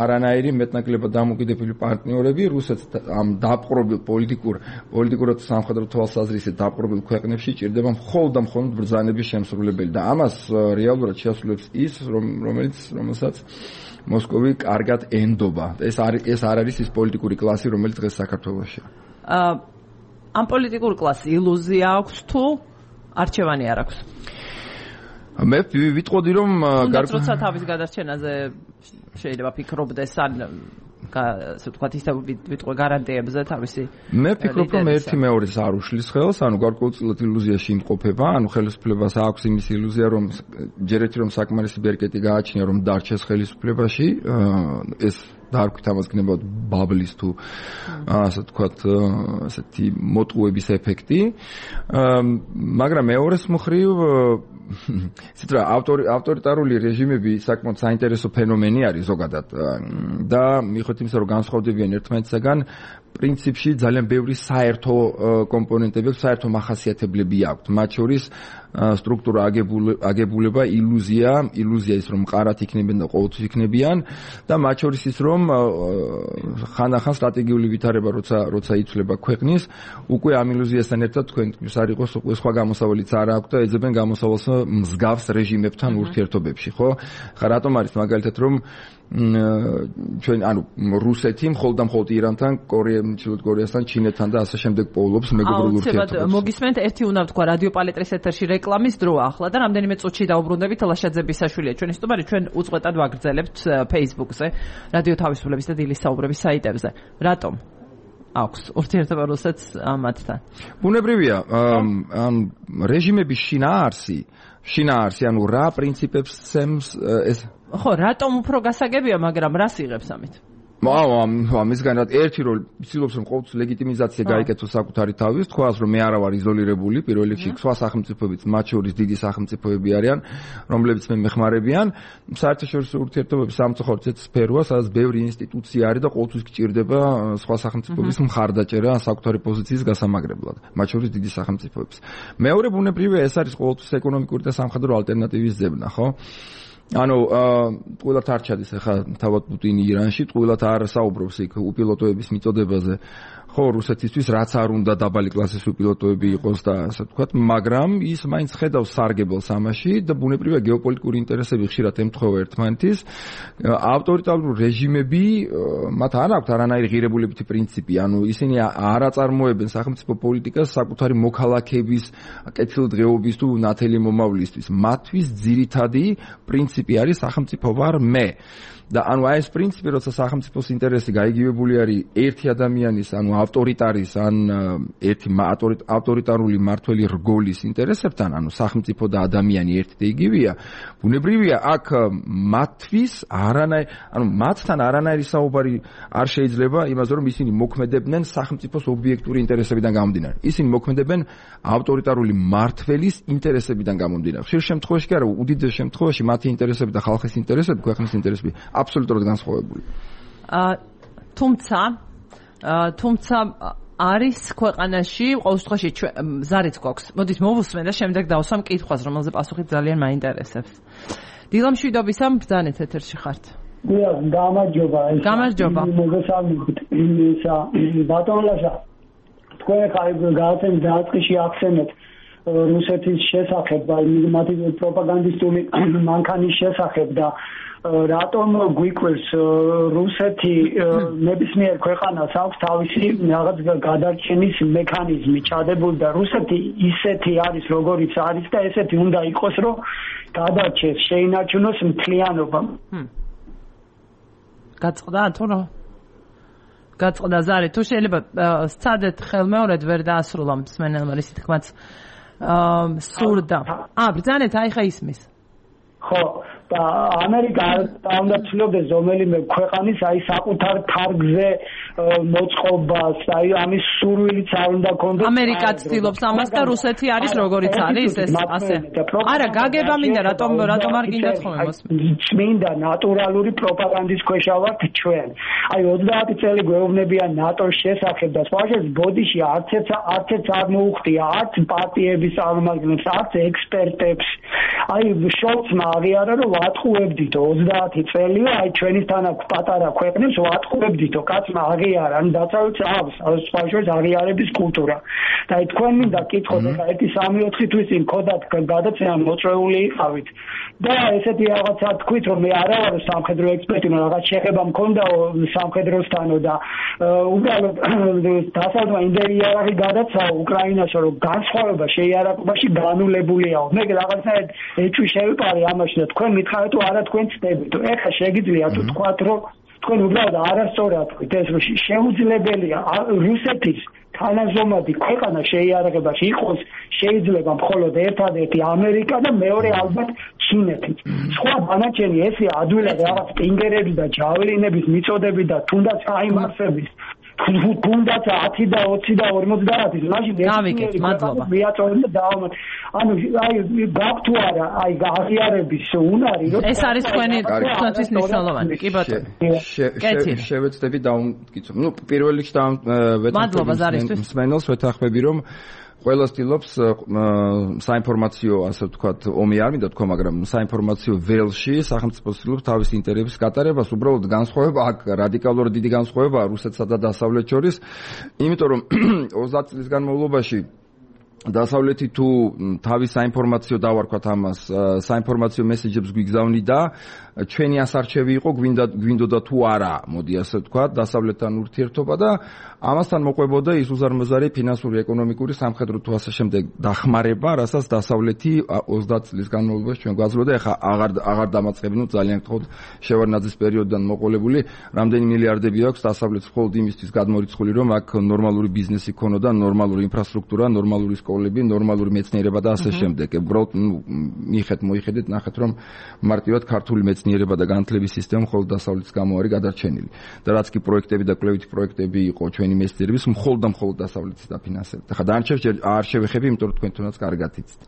არანაირი მეტნაკლებად დამოკიდებული პარტნიორები რუსეთს ამ დაპყრობილ პოლიტიკურ პოლიტიკურად სამხედრო თვალსაზრისით დაპყრობილ ქვეყნებში ჭირდება მხოლოდ და მხოლოდ ბრძანების შემსრულებელი და ამას რეალურად შეასრულებს ის რომელიც რომელსაც მოსკოვი კარგად ენდობა ეს არის ეს არ არის ის პოლიტიკური კლასი რომელიც დღეს საქართველოშია აა ამ პოლიტიკურ კლასს ილუზია აქვს თუ არჩევანი არ აქვს მე ვიტყოდი რომ როცა თავის გადარჩენაზე შეიძლება ფიქრობდეს ან ასე ვთქვათ ისე ვიტყვე გარანტიებზე თავისი მე ვფიქრობ რომ ერთი მეორეს არ უშლის ხელს ანუ გარკვეულწილად ილუზიაში იმყოფება ანუ ხელისუფლებას აქვს იმის ილუზია რომ ჯერ ერთი რომ საკმარისი ბერკეტი გააჩნია რომ დარჩეს ხელისუფლებაში ეს დაარქვით ამას გნებავთ ბაბლის თუ ასე ვთქვათ ასეთი მოტყუების ეფექტი მაგრამ მეორეს მხრივ ისეთ რა ავტორიტარული რეჟიმები საკმაოდ საინტერესო ფენომენი არის ზოგადად და მიუხედავად იმისა რომ განსხვავდებიან ერთმანეთისაგან პრინციპში ძალიან ბევრი საერთო კომპონენტები საერთო მახასიათებლები აქვთ მათ შორის სტრუქტურა აგებულება ილუზია ილუზია ის რომ მყარად იქნებიან და ყოველთვის იქნებიან და მათ შორის ის რომ ხანდახან სტრატეგიული ვითარება როცა როცა იცვლება ქვეყნის უკვე ამ ილუზიასთან ერთად თქვენთვის არ იყოს უკვე სხვა გამოსავალიც არ აქვს და ეძებენ გამოსავალს მსგავს რეჟიმებთან ურთიერთობებში ხო ხა რატომ არის მაგალითად რომ ჩვენ ანუ რუსეთი მხოლოდ და მხოლოდ ირანთან, ჩრდილოეთ კორეასთან, ჩინეთთან და ასე შემდეგ პოულობს მეგობრულ ურთიერთობებს. მოგისმენთ, ერთი უნდა ვთქვა რადიო პალეტრის ეთერში რეკლამის დროა ახლა და რამდენიმე წუთში დაუბრუნდებით ლაშაძე ბისაშვილია ჩვენი სტუმარი, ჩვენ უწყვეტად ვაგრძელებთ Facebook-ზე, რადიო თავისუფლების და დილის საუბრების საიტებზე. რატომ? აქვს ურთიერთობა რუსეთს მათთან. ბუნებრივია, ამ რეჟიმების შინაარსი შინაარსი, ანუ რა პრინციპებს სემს ეს ხო, რატომ უფრო გასაგებია, მაგრამ რას იღებს ამით? მისგან ერთი როლი ცდილობს რომ ყოველთვის ლეგიტიმიზაცია გაიკეთოს საკუთარი თავის, თქვას რომ მე არა ვარ იზოლირებული, პირველ რიგში სხვა სახელმწიფოებიც, მათ შორის დიდი სახელმწიფოები არიან, რომლებიც მე მეხმარებიან. საერთაშორისო ურთიერთობების სამწუხაროდ ეს სფეროა, სადაც ბევრი ინსტიტუცია არის და ყოველთვის გჭირდება სხვა სახელმწიფოების მხარდაჭერა საკუთარი პოზიციის გასამაგრებლად, მათ შორის დიდი სახელმწიფოების. მეორე ბუნებრივია ეს არის ყოველთვის ეკონომიკური და სამხედრო ალტერნატივის ძებნა, ხო? ანუ ყველა თარჩადის ახლა თავად პუტინი ირანში, ყველა არ საუბრობს იქ უპილოტოების მიწოდებაზე. ხო, რუსეთისთვის რაც არ უნდა დაბალი კლასის უპილოტოები იყოს და ასე ვთქვათ, მაგრამ ის მაინც ხედავს სარგებელს ამაში და ბუნებრივია გეოპოლიტიკური ინტერესები ხშირად ემთხვევა ერთმანეთის. ავტორიტარული რეჟიმები მათ არ აქვთ არანაირი ღირებულებითი პრინციპი, ანუ ისინი არ აწარმოებენ სახელმწიფო პოლიტიკას საკუთარი მოქალაქეების კეთილდღეობის თუ ნათელი მომავლისთვის. მათთვის ძირითადი პრინციპი არის სახელმწიფო ვარ მე. და ანუ აი ეს პრინციპი, როცა სახელმწიფოს ინტერესი გაიგივებული არის ერთი ადამიანის, ანუ ავტორიტარის ან ერთი ავტორიტარული მმართველი რგოლის ინტერესებთან, ანუ სახელმწიფო და ადამიანი ერთი და იგივეა, ბუნებრივია აქ მათთვის არანაირი, ანუ მათთან არანაირი საუბარი არ შეიძლება იმაზე, რომ ისინი მოქმედებდნენ სახელმწიფოს ობიექტური ინტერესებიდან გამომდინარე. ისინი მოქმედებენ ავტორიტარული მმართველის ინტერესებიდან გამომდინარე. ხშირ შემთხვევაში კი არა, უდიდეს შემთხვევაში მათი ინტერესები და ხალხის ინტერესები, ქვეყნის ინტერესები აბსოლუტურად განსხვავებული. აა თუმცა თუმცა არის ქვეყანაში ყოველ შემთხვევაში ზარიც გვაქვს. მოდით მოვუსმენ და შემდეგ დავსვამ კითხვას, რომელზე პასუხი ძალიან მაინტერესებს. დილა მშვიდობისა, ბრძანეთ ეთერში ხართ. დიახ, გამარჯობა. გამარჯობა. მოგესალმებით. ისა ბატონლაშა. თქვენ ხარ გააცემ დაწყიში აქცენტით რუსეთის შესახებ, მათი პროპაგანდისტული მანქანის შესახებ და რატომ გვიკვირს რუსეთი ნებისმიერ ქვეყანას აქვს თავისი რაღაც გადარჩენის მექანიზმი ჩადებული და რუსეთი ისეთი არის როგორიც არის და ესეთი უნდა იყოს რომ გადარჩეს შეინარჩუნოს მთლიანობა. გაწყდა თუ რა? გაწყდა ზარი, თუ შეიძლება სცადეთ ხელმეორედ ვერ დაასრულა მსმენელმა ისეთ თქმაც სურდა. აა ბრძანეთ, აი ხა ისმის. ხო, და ამერიკა უნდა ცდილობდეს რომელიმე ქვეყანის აი საკუთარ თარგზე მოწყობას, აი ამის სურვილიც არ უნდა კონდეს. ამერიკა ცდილობს ამას და რუსეთი არის როგორიც არის ეს ასე. არა, გაგება მინდა, რატომ რატომ არ გინდათ ხოლმე მოსმენ. წმინდა ნატურალური პროპაგანდის ქვეშა ვართ ჩვენ. აი ოცდაათი წელი გვეუბნებიან ნატოს შესახებ და სხვაშორის ბოდიში არც ერთ არც ერთ არ მოუხდია, არც პარტიების წარმომადგენლებს, არც ექსპერტებს. აი შოლცმა აღიარა რომ ვატყუებდით ოცდაათი წელია, აი ჩვენისთან აქ პატარა ქვეყნებს ვატყუებდითო, კაცმა აღიარა, ანუ დაცავით აქვს, სხვაშორის აღიარების კულტურა. და აი თქვენ მინდა კითხოთ, ახლა ერთი სამი ოთხი თვის წინ ქოდათ გადაცემა მოწვეული იყავით. და ესეთი რაღაცა თქვით, რომ მე არა ვარ სამხედრო ექსპერტი, მაგრამ რაღაც შეხება მქონდა სამხედროსთანო და უბრალოდ დასავლეთმა იმდენი იარაღი გადაცაო უკრაინას, რომ განსხვავება შეიარაღებაში განულებულია. მე რაღაცნაირად ეჭვი შევიპარე ამაში და თქვენ მითხარით თუ არა თქვენ ცდებით. ეხლა შეგიძლია თუ თქვათ, რომ თქვენ უბრალოდ არასწორად თქვით ეს, რომ შეუძლებელია რუსეთის თანაზომადი ქვეყანა შეიარაღებაში იყოს შეიძლება მხოლოდ ერთადერთი ამერიკა და მეორე ალბათ ჩინეთი. სხვა დანარჩენი ესე ადვილად რაღაც პინგერები და ჯაველინების მიწოდები და თუნდაც აიმარსების თუნდაც ათი და ოცი და ორმოცდაათი მაშინ გავიკეთ, მადლობა. მიაწოდეთ და დავამატ. ანუ აი გაქვთ თუ არა აი აღიარების უნარი რომ ეს არის თქვენი თქვენთვის მნიშვნელოვანი. კი ბატონო. შევეცდები დავმტკიცო. ნუ პირველ რიგში დავმტკიცო მსმენელს ვეთანხმები რომ ყველა ცდილობს საინფორმაციო, ასე ვთქვათ, ომი არ მინდა თქვა, მაგრამ საინფორმაციო ველში სახელმწიფო ცდილობს თავის ინტერესების გატარებას, უბრალოდ განსხვავება აქ რადიკალურად დიდი განსხვავებაა რუსეთსა და დასავლეთ შორის, იმიტომ რომ ოცდაათი წლის განმავლობაში დასავლეთი თუ თავის საინფორმაციო დავარქვათ ამას, საინფორმაციო მესეჯებს გვიგზავნიდა, ჩვენი ასარჩევი იყო გვინდა გვინდოდა თუ არა, მოდი ასე ვთქვათ, დასავლეთთან ურთიერთობა და ამასთან მოყვებოდა ის უზარმაზარი ფინანსური, ეკონომიკური, სამხედრო თუ ასე შემდეგ დახმარება, რასაც დასავლეთი ოცდაათი წლის განმავლობაში ჩვენ გვაძლევდა, ეხლა აღარ აღარ დამაწყებინო ძალიან გთხოვთ შევარდნაძის პერიოდიდან მოყოლებული, რამდენი მილიარდები აქვს დასავლეთს მხოლოდ იმისთვის გადმორიცხული, რომ აქ ნორმალური ბიზნესი ქონოდა, ნორმალური ინფრასტრუქტურა, ნორმალური სკოლები, ნორმალური მეცნიერება და ასე შემდეგ. უბრალოდ მიიხეთ, მოიხედეთ, ნახეთ რომ მარტივად ქართული მეცნიერება და განათლების სისტემა მხოლოდ დასავლეთის გამო არის გადარჩენილი. და რაც კი პროექტები და კვლევითი პროექტები იყო ჩვენი მეცნიერების მხოლოდ და მხოლოდ დასავლეთის დაფინანსებით. ახლა დანარჩენს არ შევეხები, იმიტომ რომ თქვენ თუნდაც კარგად იცით.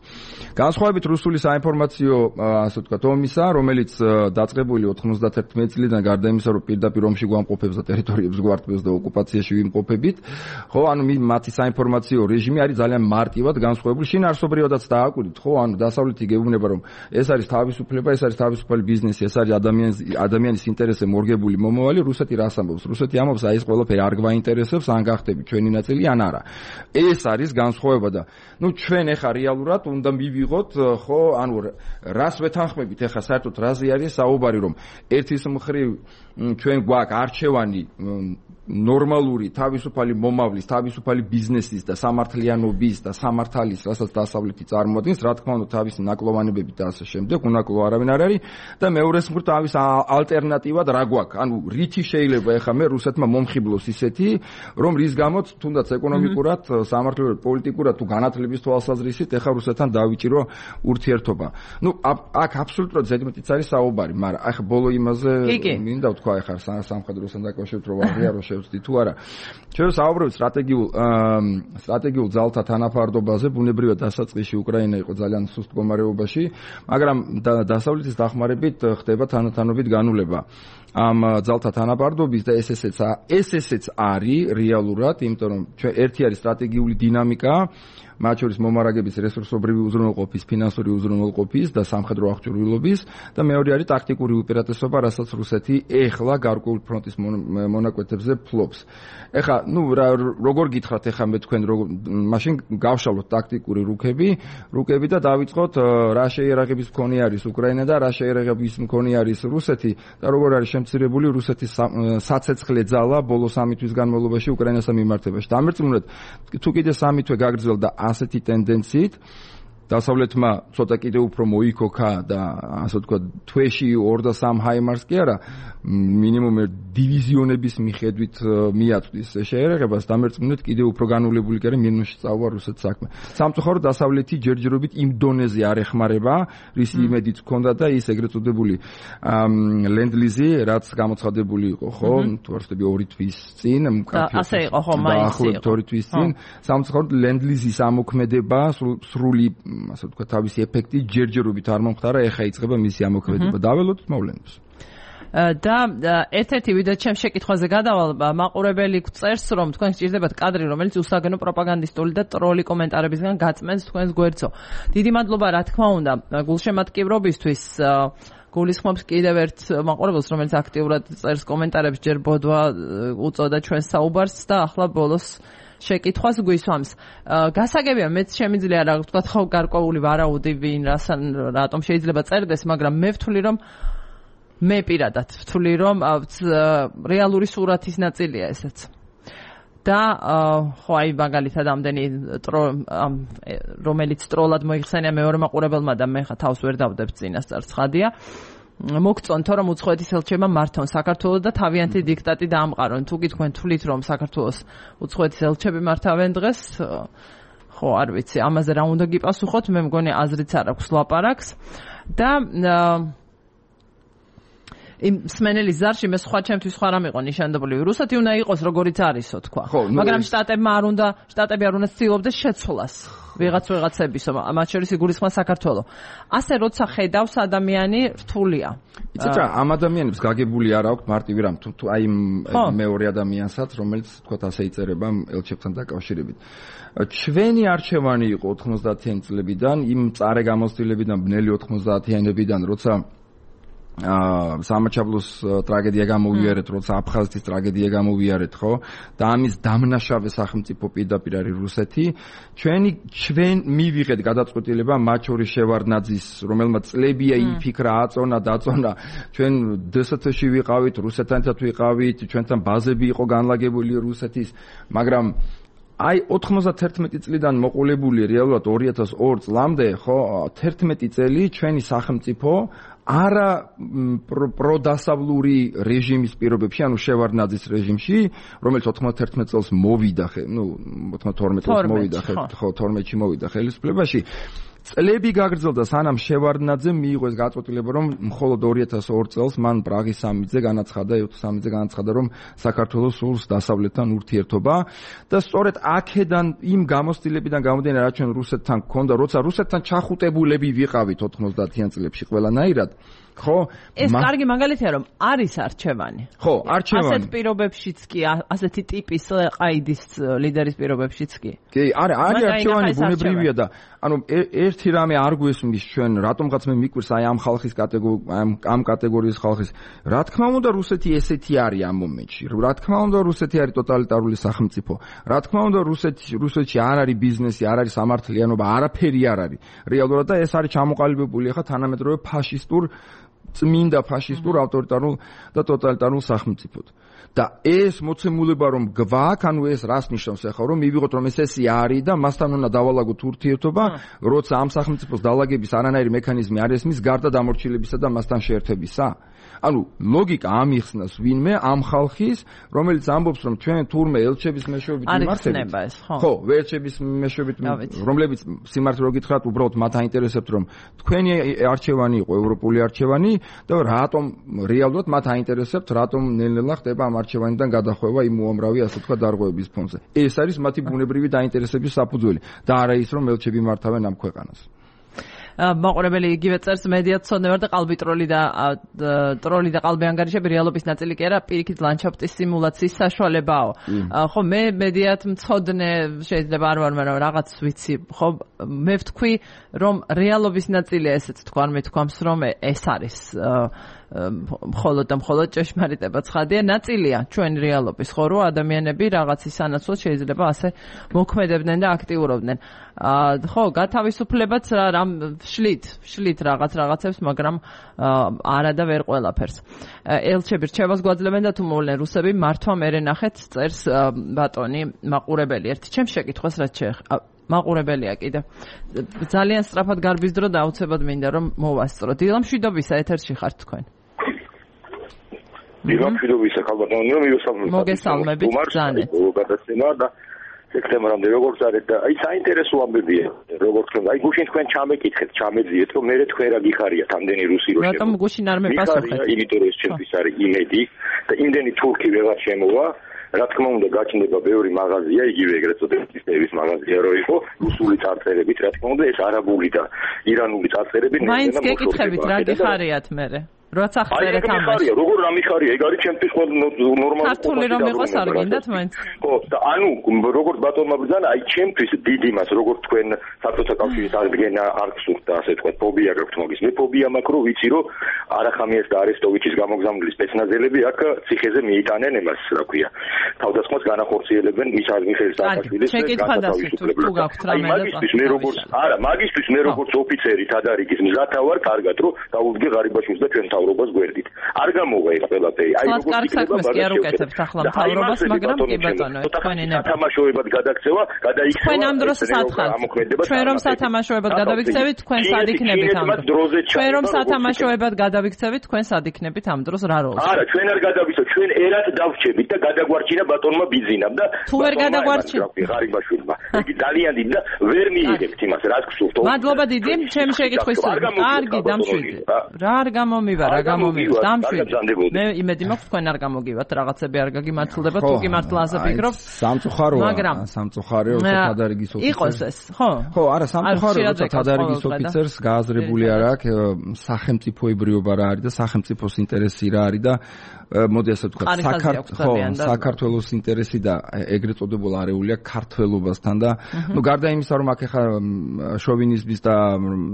განსხვავებით რუსული საინფორმაციო, ასე ვთქვათ, ომისა, რომელიც დაწყებული ოთხმოცდაერთი წლიდან გარდა იმისა, რომ პირდაპირ ომში გვამყოფებს და ტერიტორიებს გვარტბებს და ოკუპაციაში ვიმყოფებით, ხო, ანუ მათი საინფორმაციო რეჟიმი არის ძალიან მარტივად განსხვავებული. შინაარსობრივადაც დააკვირდით, ხო, ანუ დასავლეთი გეუბნება, რომ ეს არის თავისუფლება, ეს არის თავისუფალი ბიზნესი, ეს არის ადამიანის ადამიანის ინტერესზე მორგებული მომავალი, რუსეთი რას ამბობს? რუსეთი ამბობს, აი ეს ყველაფერი არ გვაინტერესებს, ან გახდები ჩვენი ნაწილი, ან არა. ეს არის განსხვავება და ნუ ჩვენ ეხა რეალურად უნდა მივიღოთ, ხო, ანუ რას ვეთანხმებით ეხა საერთოდ რაზე არის საუბარი, რომ ერთის მხრივ ჩვენ გვაქვს არჩევანი ნორმალური თავისუფალი მომავლის, თავისუფალი ბიზნესის და სამართლიანობის და სამართალის, რასაც დასავლეთი წარმოადგენს, რა თქმა უნდა, თავისი ნაკლოვანებებით და ასე შემდეგ, უნაკლო არავინ არ არის და მეორეს მხრივ თავის ალტერნატივად რა გვაქვს? ანუ რითი შეიძლება ეხა მე რუსეთმა მომხიბლოს ისეთი, რომ რის გამოც თუნდაც ეკონომიკურად, სამართლებრივად, პოლიტიკურად თუ განათლების თვალსაზრისით ეხა რუსეთთან დავიჭირო ურთიერთობა. ნუ აქ აბსოლუტურად ზედმეტიც არის საუბარი, მაგრამ ახლა ბოლო იმაზე მინდა ვთქვა ეხა სამხედროსთან დაკავშირებით რომ აღიარო შევწდი თუ არა. ჩვენ საუბრობთ სტრატეგიულ სტრატეგიულ ძალთა თანაფარდობაზე, ბუნებრივად დასაწყისში უკრაინა იყო ძალიან სუსტ მდგომარეობაში, მაგრამ დასავლეთის დახმარებით ხდება თანათანობით განულება. ამ ძალთა თანაფარდობის და ეს ესეც ეს ესეც არის რეალურად, იმიტომ რომ ჩვენ ერთი არის სტრატეგიული დინამიკა, მათ შორის მომარაგების რესურსობრივი უზრუნველყოფის, ფინანსური უზრუნველყოფის და სამხედრო აღჭურვილობის და მეორე არის ტაქტიკური უპირატესობა, რასაც რუსეთი ეხლა გარკვეულ ფრონტის მონაკვეთებზე ფლობს. ეხლა, ნუ როგორ გითხრათ ეხლა მე თქვენ როგორ მაშინ გავშალოთ ტაქტიკური რუკები, რუკები და დავიწყოთ რა შეიარაღების მქონე არის უკრაინა და რა შეიარაღების მქონე არის რუსეთი და როგორ არის შემცირებული რუსეთის საცეცხლე ძალა ბოლო სამი თვის განმავლობაში უკრაინასთან მიმართებაში. დამერწმუნდეთ, თუ კიდე სამი თვე გაგრძელდა ასეთი ტენდენციით, დასავლეთმა ცოტა კიდე უფრო მოიქოქა და ასე ვთქვათ, თვეში ორ და სამ ჰაიმარს კი არა, მინიმუმ დივიზიონების მიხედვით მიაწვდის შეერაღებას, დამერწმუნდეთ კიდე უფრო განულებული კი არა მინუსში წავა რუსეთს საქმე. სამწუხაროდ დასავლეთი ჯერჯერობით იმ დონეზე არ ეხმარება, რის იმედიც ჰქონდა და ის ეგრეთ წოდებული ლენდლიზი, რაც გამოცხადებული იყო, ხო, თუ არ ვცდები ორი თვის წინ, ასე იყო, ხო, მაინც იყო. ორი თვის წინ, სამწუხაროდ ლენდლიზის ამოქმედება სრული ასე ვთქვათ, თავისი ეფექტი ჯერჯერობით არ მომხდარა, ეხა იწყება მისი ამოქმედება. დაველოდოთ მოვლენებს. და ერთ-ერთი ვიდეო ჩემ შეკითხვაზე გადავალ, მაყურებელი წერს, რომ თქვენ სჭირდებათ კადრი, რომელიც უსაგენო პროპაგანდისტული და ტროლი კომენტარებისგან გაწმენს თქვენს გვერდსო. დიდი მადლობა, რა თქმა უნდა, გულშემატკივრობისთვის. გულისხმობს კიდევ ერთ მაყურებელს, რომელიც აქტიურად წერს კომენტარებს, ჯერ ბოდვა უწოდა ჩვენს საუბარს და ახლა ბოლოს შეკითხვას გვისვამს. გასაგებია, მეც შემიძლია რა ვთქვათ, ხო, გარკვეული ვარაუდი ვინ რასან რატომ შეიძლება წერდეს, მაგრამ მე ვთვლი, რომ მე პირადად ვთვლი, რომ რეალური სურათის ნაწილია ესეც. და ხო, აი მაგალითად ამდენი რომელიც ტროლად მოიხსენია მეორე მაყურებელმა და მე ხა თავს ვერ დავდებ წინასწარ ცხადია. მოგწონთ, რომ უცხოეთის ელჩებმა მართონ საქართველოს და თავიანთი დიქტატი დაამყარონ. თუ კი თქვენ თვლით, რომ საქართველოს უცხოეთის ელჩები მართავენ დღეს, ხო, არ ვიცი, ამაზე რა უნდა გიპასუხოთ, მე მგონი აზრიც არ აქვს ლაპარაკს. და იმ სმენელის ზარში მე სხვა ჩემთვის სხვა რამ იყო ნიშანდობლივი. რუსეთი უნდა იყოს როგორიც არისო, თქვა. მაგრამ შტატებმა არ უნდა, შტატები არ უნდა ცდილობდეს შეცვლას. ვიღაც ვიღაცებისო, მათ შორის იგულისხმება საქართველო. ასე როცა ხედავს ადამიანი, რთულია. იცით რა, ამ ადამიანებს გაგებული არ აქვს მარტივი რამ, თუ აი მეორე ადამიანსაც, რომელიც თქვა ასე იწერება ელჩებთან დაკავშირებით. ჩვენი არჩევანი იყო ოთხმოცდაათიანი წლებიდან, იმ წარე გამოცდილებიდან, ბნელი ოთხმოცდაათიანებიდან, როცა სამაჩაბლოს ტრაგედია გამოვიარეთ, როცა აფხაზეთის ტრაგედია გამოვიარეთ, ხო? და ამის დამნაშავე სახელმწიფო პირდაპირ არის რუსეთი. ჩვენი ჩვენ მივიღეთ გადაწყვეტილება მათ შორის შევარდნაძის, რომელმაც წლებია იფიქრა, აწონა, დაწონა. ჩვენ დსთ-ში ვიყავით, რუსეთთან ერთად ვიყავით, ჩვენთან ბაზები იყო განლაგებული რუსეთის, მაგრამ აი ოთხმოცდაერთი წლიდან მოყოლებული რეალურად ორი ათას ორი წლამდე, ხო, თერთმეტი წელი ჩვენი სახელმწიფო არა პროდასავლური რეჟიმის პირობებში, ანუ შევარდნაძის რეჟიმში, რომელიც ოთხმოცდაერთმეტ წელს მოვიდა, ნუ ოცდათორმეტ წელს მოვიდა, ხო, თორმეტში მოვიდა ხელისუფლებაში. წლები გაგრძელდა, სანამ შევარდნაძემ მიიღო ეს გაწყვეტილება, რომ მხოლოდ ორი ათას ორ წელს მან პრაღის სამიტზე განაცხადა, სამიტზე განაცხადა, რომ საქართველოს სულს დასავლეთთან ურთიერთობა და სწორედ აქედან იმ გამოცდილებიდან გამომდინარე, რაც ჩვენ რუსეთთან გქონდა, როცა რუსეთთან ჩახუტებულები ვიყავით ოთხმოცდაათიან წლებში ყველანაირად, ხო? ეს კარგი მაგალითია, რომ არის არჩევანი. ხო, არჩევანი. ასეთ პირობებშიც კი, ასეთი ტიპის ყაიდის ლიდერის პირობებშიც კი. კი, არა, არის არჩევანი, ბუნებრივია და ანუ ერთი რამე არ გვესმის ჩვენ, რატომღაც მე მიკვირს აი ამ ხალხის კატეგორია, ამ ამ კატეგორიის ხალხის. რა თქმა უნდა, რუსეთი ესეთი არის ამ მომენტში. რა თქმა უნდა, რუსეთი არის ტოტალიტარული სახელმწიფო. რა თქმა უნდა, რუსეთი რუსეთში არ არის ბიზნესი, არ არის სამართლიანობა, არაფერი არ არის. რეალურად და ეს არის ჩამოყალიბებული ახლა თანამედროვე ფაშისტურ წმინდა ფაშისტურ ავტორიტარულ და ტოტალიტარულ სახელმწიფოდ. და ეს მოცემულება რომ გვაქვს, ანუ ეს რას ნიშნავს ახლა, რომ მივიღოთ რომ ეს ესე არის და მასთან უნდა დავალაგოთ ურთიერთობა, როცა ამ სახელმწიფოს დალაგების არანაირი მექანიზმი არ ესმის გარდა დამორჩილებისა და მასთან შეერთებისა. ანუ ლოგიკა ამიხსნას ვინმე ამ ხალხის, რომელიც ამბობს რომ ჩვენ თურმე ელჩების მეშვეობით მიმართებით. ხო, ელჩების მეშვეობით, რომლებიც სიმართლე რო გითხრათ, უბრალოდ მათ აინტერესებთ რომ თქვენი არჩევანი იყო ევროპული არჩევანი და რატომ რეალურად მათ აინტერესებთ, რატომ ნელ-ნელა ხდება ამ არჩევანიდან გადახვევა იმ უამრავი ასე თქვა დარღვევების ფონზე. ეს არის მათი ბუნებრივი დაინტერესების საფუძველი და არა ის რომ ელჩები მართავენ ამ ქვეყანას. მაყურებელი იგივე წერს მედია ცოდნევარ და ყალბი ტროლი და ტროლი და ყალბი ანგარიშები რეალობის ნაწილი კი არა, პირიქით ლანდშაფტის სიმულაციის საშუალებაა. ხო, მე მედიათ მცოდნე შეიძლება არ ვარ, მაგრამ რაღაც ვიცი. ხო, მე ვთქვი, რომ რეალობის ნაწილია ესეც თქვა, მე თქვამს, რომ ეს არის მხოლოდ და მხოლოდ ჭეშმარიტება ცხადია, ნაწილია ჩვენი რეალობის, ხო, რომ ადამიანები რაღაცის სანაცვლოდ შეიძლება ასე მოქმედებდნენ და აქტიურობდნენ. ხო, გათავისუფლებაც რამ შლით, შლით რაღაც რაღაცებს, მაგრამ არა და ვერ ყველაფერს. ელჩები რჩევას გვაძლევენ და თუ მოვლენ რუსები, მართვა მერე ნახეთ, წერს ბატონი მაყურებელი. ერთი ჩემს შეკითხვას რაც შეეხება მაყურებელია კიდე. ძალიან სწრაფად გარბის დრო და აუცილებლად მინდა რომ მოვასწრო. დილამშვიდობისა ეთერში ხართ თქვენ. დილამშვიდობისა ხალბატონი, მივესალმებით. მოგესალმებით ძალიან. გადაცემა და სექტემბრამდე როგორც არის და აი საინტერესო ამბებია, როგორც თქვენ, აი გუშინ თქვენ ჩამეკითხეთ, ჩამეძიეთ, რომ მე თქვენ რა გიხარიათ ამდენი რუსი რო შემოვა. რატომ გუშინ არ მეპასუხეთ? იმიტომ რომ ეს ჩემთვის არის იმედი და იმდენი თურქი ვეღარ შემოვა. რა თქმა უნდა გაჩნდება ბევრი მაღაზია, იგივე ეგრეთ წოდებული ნების მაღაზია რო იყო, რუსული წარწერებით, რა თქმა უნდა ეს არაბული და ირანული წარწერები ნელა მაინც გეკითხებით რა გიხარიათ მერე? როცა ხწერეთ ამას. როგორ რა მიხარია? ეგ არის ჩემთვის ყველა ნორმალური. ქართული რომ იყოს არ გინდათ მაინც? ხო, და ანუ როგორც ბატონმა ბრძანა, აი ჩემთვის დიდი მას, როგორც თქვენ საბჭოთა კავშირის აღდგენა არ გსურთ და ასე თქვა, ფობია გაქვთ მაგის. მე ფობია მაქვს, რომ ვიცი, რომ არახამიას და არესტოვიჩის გამოგზავნილი სპეცნაზელები აქ ციხეზე მიიტანენ ემას, რა ქვია. თავდასხმას განახორციელებენ მიხაილ მიხეილ სააკაშვილის განთავისუფლებლად. აი მაგისთვის მე როგორც არა, მაგისთვის მე როგორც ოფიცერი თადარიგის მზათა ვარ, კარგად რომ დაუდგე ღარიბაშვილს და ჩვენ მთავრობას გვერდით. არ გამოვა ეს ყველაფერი. აი როგორც იქნება კი არ უკეთებთ ახლა მთავრობას, მაგრამ კი ბატონო, თქვენი ნება. სათამაშოებად გადაქცევა, გადაიქცევა. თქვენ ამ დროს სათხართ. ჩვენ რომ სათამაშოებად გადავიქცევით, თქვენ სად იქნებით ამ დროს? ჩვენ რომ სათამაშოებად გადავიქცევით, თქვენ სად იქნებით ამ დროს რა როლს? არა, ჩვენ არ გადავიქცევთ, ჩვენ ერად დავრჩებით და გადაგვარჩინა ბატონმა ბიძინამ და თუ ვერ გადაგვარჩინა ღარიბაშვილმა. იგი ძალიან დიდი და ვერ მიიღებთ იმას, რაც გსურთ. მადლობა დიდი, ჩემი შეკითხვის კარგი დამშვიდი. რა არ გამომივა, რა გამომივა, დამშვიდი. მე იმედი მაქვს თქვენ არ გამოგივათ, რაღაცები არ გაგიმართლდება, თუ კი მართლა ასე ფიქრობ. სამწუხაროა, სამწუხაროა, როცა თადარიგის ოფიცერს. იყოს ეს, ხო? ხო, არა, სამწუხაროა, როცა თადარიგის ოფიცერს გააზრებული არ აქვს სახელმწიფოებრიობა რა არის და სახელმწიფოს ინტერესი რა არის და მოდი ასე ვთქვათ, საქართველოს ინტერესი და ეგრეთ წოდებულ არეულია ქართველობასთან და ნუ გარდა იმისა, რომ აქ ახლა შოვინიზმის და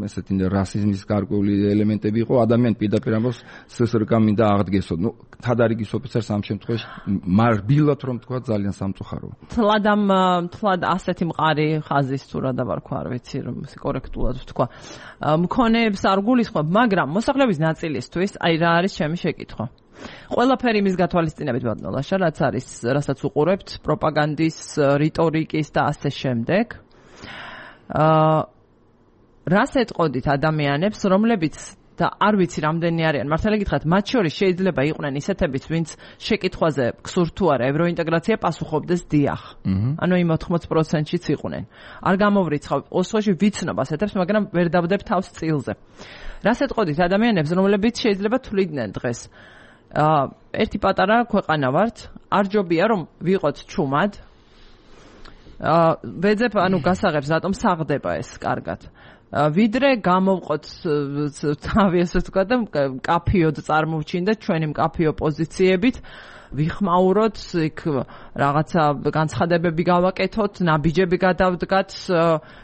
ესეთი რასიზმის გარკვეული ელემენტები იყო, ადამიანი პირდაპირ ამბობს სსრკ მინდა აღდგესო. ნუ თადარიგის ოფიცერს ამ შემთხვევაში მარბილად რომ თქვა ძალიან სამწუხაროა. თლად ამ თლად ასეთი მყარი ხაზის თუ რა დავარქვა, არ ვიცი რომ კორექტულად ვთქვა. მქონეებს არ გულისხმობ, მაგრამ მოსახლეობის ნაწილისთვის აი რა არის ჩემი შეკითხვა. ყველაფერი მის გათვალისწინებით ბატონო ლაშა, რაც არის, რასაც უყურებთ, პროპაგანდის, რიტორიკის და ასე შემდეგ. აა რას ეტყოდით ადამიანებს, რომლებიც და არ ვიცი რამდენი არიან. მართალი გითხრათ, მათ შორის შეიძლება იყვნენ ისეთებიც, ვინც შეკითხვაზე გსურთ თუ არა ევროინტეგრაცია პასუხობდეს დიახ. ანუ იმ ოთხმოც პროცენტშიც იყვნენ. არ გამოვრიცხავ ოსოში ვიცნობას ეთებს, მაგრამ ვერ დავდებ თავს წილზე. რას ეტყოდით ადამიანებს, რომლებიც შეიძლება თვლიდნენ დღეს? აა ერთი პატარა ქვეყანა ვართ, არ ჯობია რომ ვიყოთ ჩუმად. აა ვეძებ ანუ გასაღებს რატომ საღდება ეს კარგად. ვიდრე გამოვყოთ თავი ასე ვთქვა და კაფიოდ წარმოვჩინდეთ ჩვენი მკაფიო პოზიციებით, ვიხმაუროთ, იქ რაღაცა განცხადებები გავაკეთოთ, ნაბიჯები გადავდგათ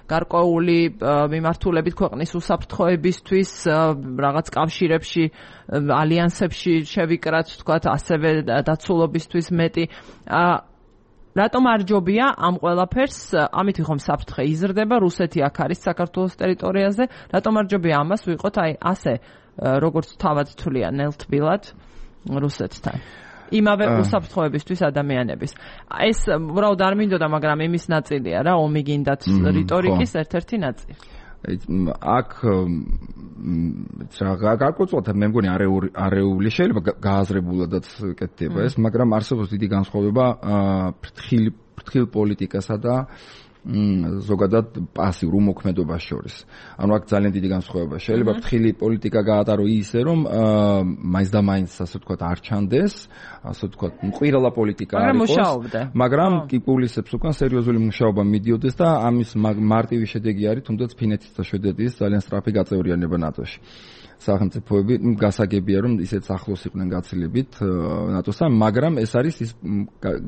გარკვეული მიმართულებით ქვეყნის უსაფრთხოებისთვის, რაღაც კავშირებში, ალიანსებში შევიკრათ, ვთქვათ, ასევე დაცულობისთვის მეტი. რატომ არ ჯობია ამ ყველაფერს, ამით ხომ საფრთხე იზრდება, რუსეთი აქ არის საქართველოს ტერიტორიაზე, რატომ არ ჯობია ამას ვიყოთ აი ასე, როგორც თავად თვლიან ნელთბილად რუსეთთან. იმავე უსაფრთხოებისთვის ადამიანების. ეს უბრალოდ არ მინდოდა, მაგრამ იმის ნაწილია რა, ომი გინდათ რიტორიკის ერთ-ერთი ნაწილი. აქ რა გარკვეულწილად მე მგონი არეული არეული შეიძლება გააზრებულადაც კეთდება ეს, მაგრამ არსებობს დიდი განსხვავება ფრთხილ ფრთხილ პოლიტიკასა და ზოგადად პასიურ უმოქმედობას შორის. ანუ აქ ძალიან დიდი განსხვავება. შეიძლება ფრთხილი პოლიტიკა გაატარო ისე, რომ მაინც და მაინც ასე ვთქვათ არ ჩანდეს, ასე ვთქვათ, მყირალა პოლიტიკა არ იყოს, მაგრამ კი პულისებს უკან სერიოზული მუშაობა მიდიოდეს და ამის მარტივი შედეგი არის თუნდაც ფინეთის და შვედეთის ძალიან სწრაფი გაწევრიანება ნატოში. სახელმწიფოები გასაგებია რომ ისეთ ახლოს იყვნენ გაცილებით ნატოსთან, მაგრამ ეს არის ის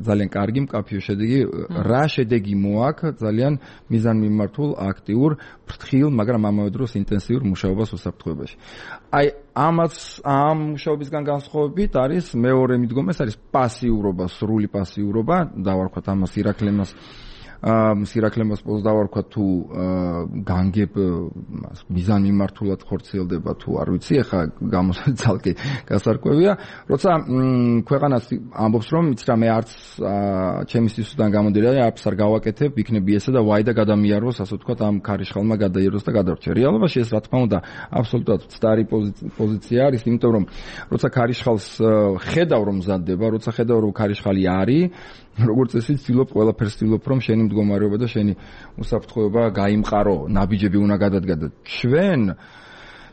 ძალიან კარგი მკაფიო შედეგი, რა შედეგი მოაქვს ძალიან მიზანმიმართულ, აქტიურ, ფრთხილ, მაგრამ ამავე დროს ინტენსიურ მუშაობას უსაფრთხოებაში. აი ამას ამ მუშაობისგან განსხვავებით არის მეორე მიდგომა, ეს არის პასიურობა, სრული პასიურობა, დავარქვათ ამას ირაკლემას სირაკლემას პოზს დავარქვა თუ განგებ მიზანმიმართულად ხორციელდება თუ არ ვიცი, ახლა გამოსაცალკე გასარკვევია, როცა ქვეყანას ამბობს რომ იცი რა მე არც ჩემი სისუსტიდან გამოდიოდა აფს არ გავაკეთებ, იქნები ესა და ვაი და გადამიაროს, ასე ვთქვათ, ამ ქარიშხალმა გადაიეროს და გადარჩა. რეალობაში ეს რა თქმა უნდა აბსოლუტურად მცდარი პოზიცია არის, იმიტომ რომ როცა ქარიშხალს ხედავ რომ მზადდება, როცა ხედავ რომ ქარიშხალი არის, როგორც ესე ვცდილობ ყველაფერს ვცდილობ რომ შენი მდგომარეობა და შენი უსაფრთხოება გაიმყარო, ნაბიჯები უნდა გადადგა და ჩვენ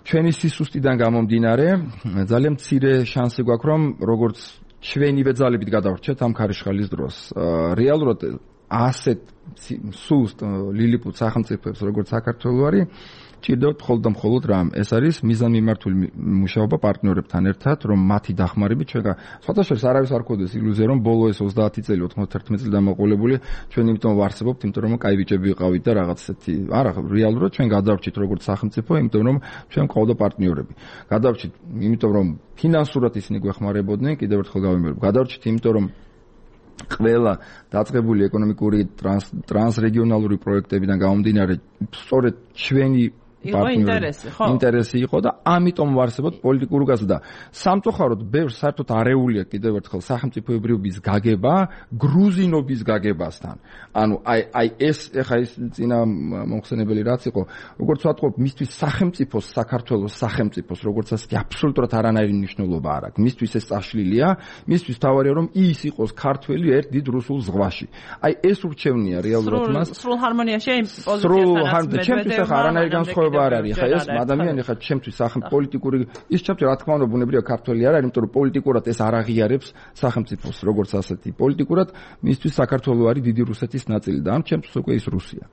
ჩვენი სისუსტიდან გამომდინარე ძალიან მცირე შანსი გვაქვს რომ როგორც ჩვენივე ძალებით გადავრჩეთ ამ ქარიშხალის დროს. რეალურად ასეთ სუსტ ლილიპუტ სახელმწიფოებს როგორც საქართველო არის ჭირდებათ მხოლოდ და მხოლოდ რამ, ეს არის მიზანმიმართული მუშაობა პარტნიორებთან ერთად, რომ მათი დახმარებით ჩვენ სხვათა შორის არავის არ ქონდეს ილუზია, რომ ბოლო ეს ოცდაათი წელი, ოთხმოცდაერთმეტი წელი დამოყოლებული ჩვენ იმიტომ ვარსებობთ, იმიტომ რომ კაი ბიჭები ვიყავით და რაღაც ესეთი. არა, რეალურად ჩვენ გადავრჩით როგორც სახელმწიფო, იმიტომ რომ ჩვენ ყავდა პარტნიორები. გადავრჩით, იმიტომ რომ ფინანსურად ისინი გვეხმარებოდნენ, კიდევ ერთხელ გავიმეორებ. გადავრჩით, იმიტომ რომ ყველა დაწყებული ეკონომიკური ტრანსრეგიონალური პროექტებიდან გამომდინარე, სწორედ ჩვენი ინტერესი ხო? ინტერესი იყო და ამიტომ ვარსებობთ პოლიტიკურ გაზრდა და სამწუხაროდ ბევრ საერთოდ არეულია კიდევ ერთხელ სახელმწიფოებრიობის გაგება გრუზინობის გაგებასთან. ანუ აი აი ეს ეხა ის წინა მომხსენებელი რაც იყო, როგორც ვატყობ, მისთვის სახელმწიფოს, საქართველოს სახელმწიფოს, როგორც ასეთი აბსოლუტურად არანაირი მნიშვნელობა არ აქვს. მისთვის ეს წაშლილია, მისთვის თავარია რომ ის იყოს ქართველი ერთ დიდ რუსულ ზღვაში. აი ეს ურჩევნია რეალურად მას. სრულ ჰარმონიაში იმ პოზიციასთან ჩემთვის ახლა არანაირი განსხვავება არ არის, ხა ეს ადამიანი ხა ჩემთვის სახელმწიფო პოლიტიკური ის ჩემთვის რა თქმა უნდა ბუნებრივია ქართველი არ არის, იმიტომ რომ პოლიტიკურად ეს არ აღიარებს სახელმწიფოს როგორც ასეთი. პოლიტიკურად მისთვის საქართველო არის დიდი რუსეთის ნაწილი და ამ ჩემთვის უკვე ის რუსია.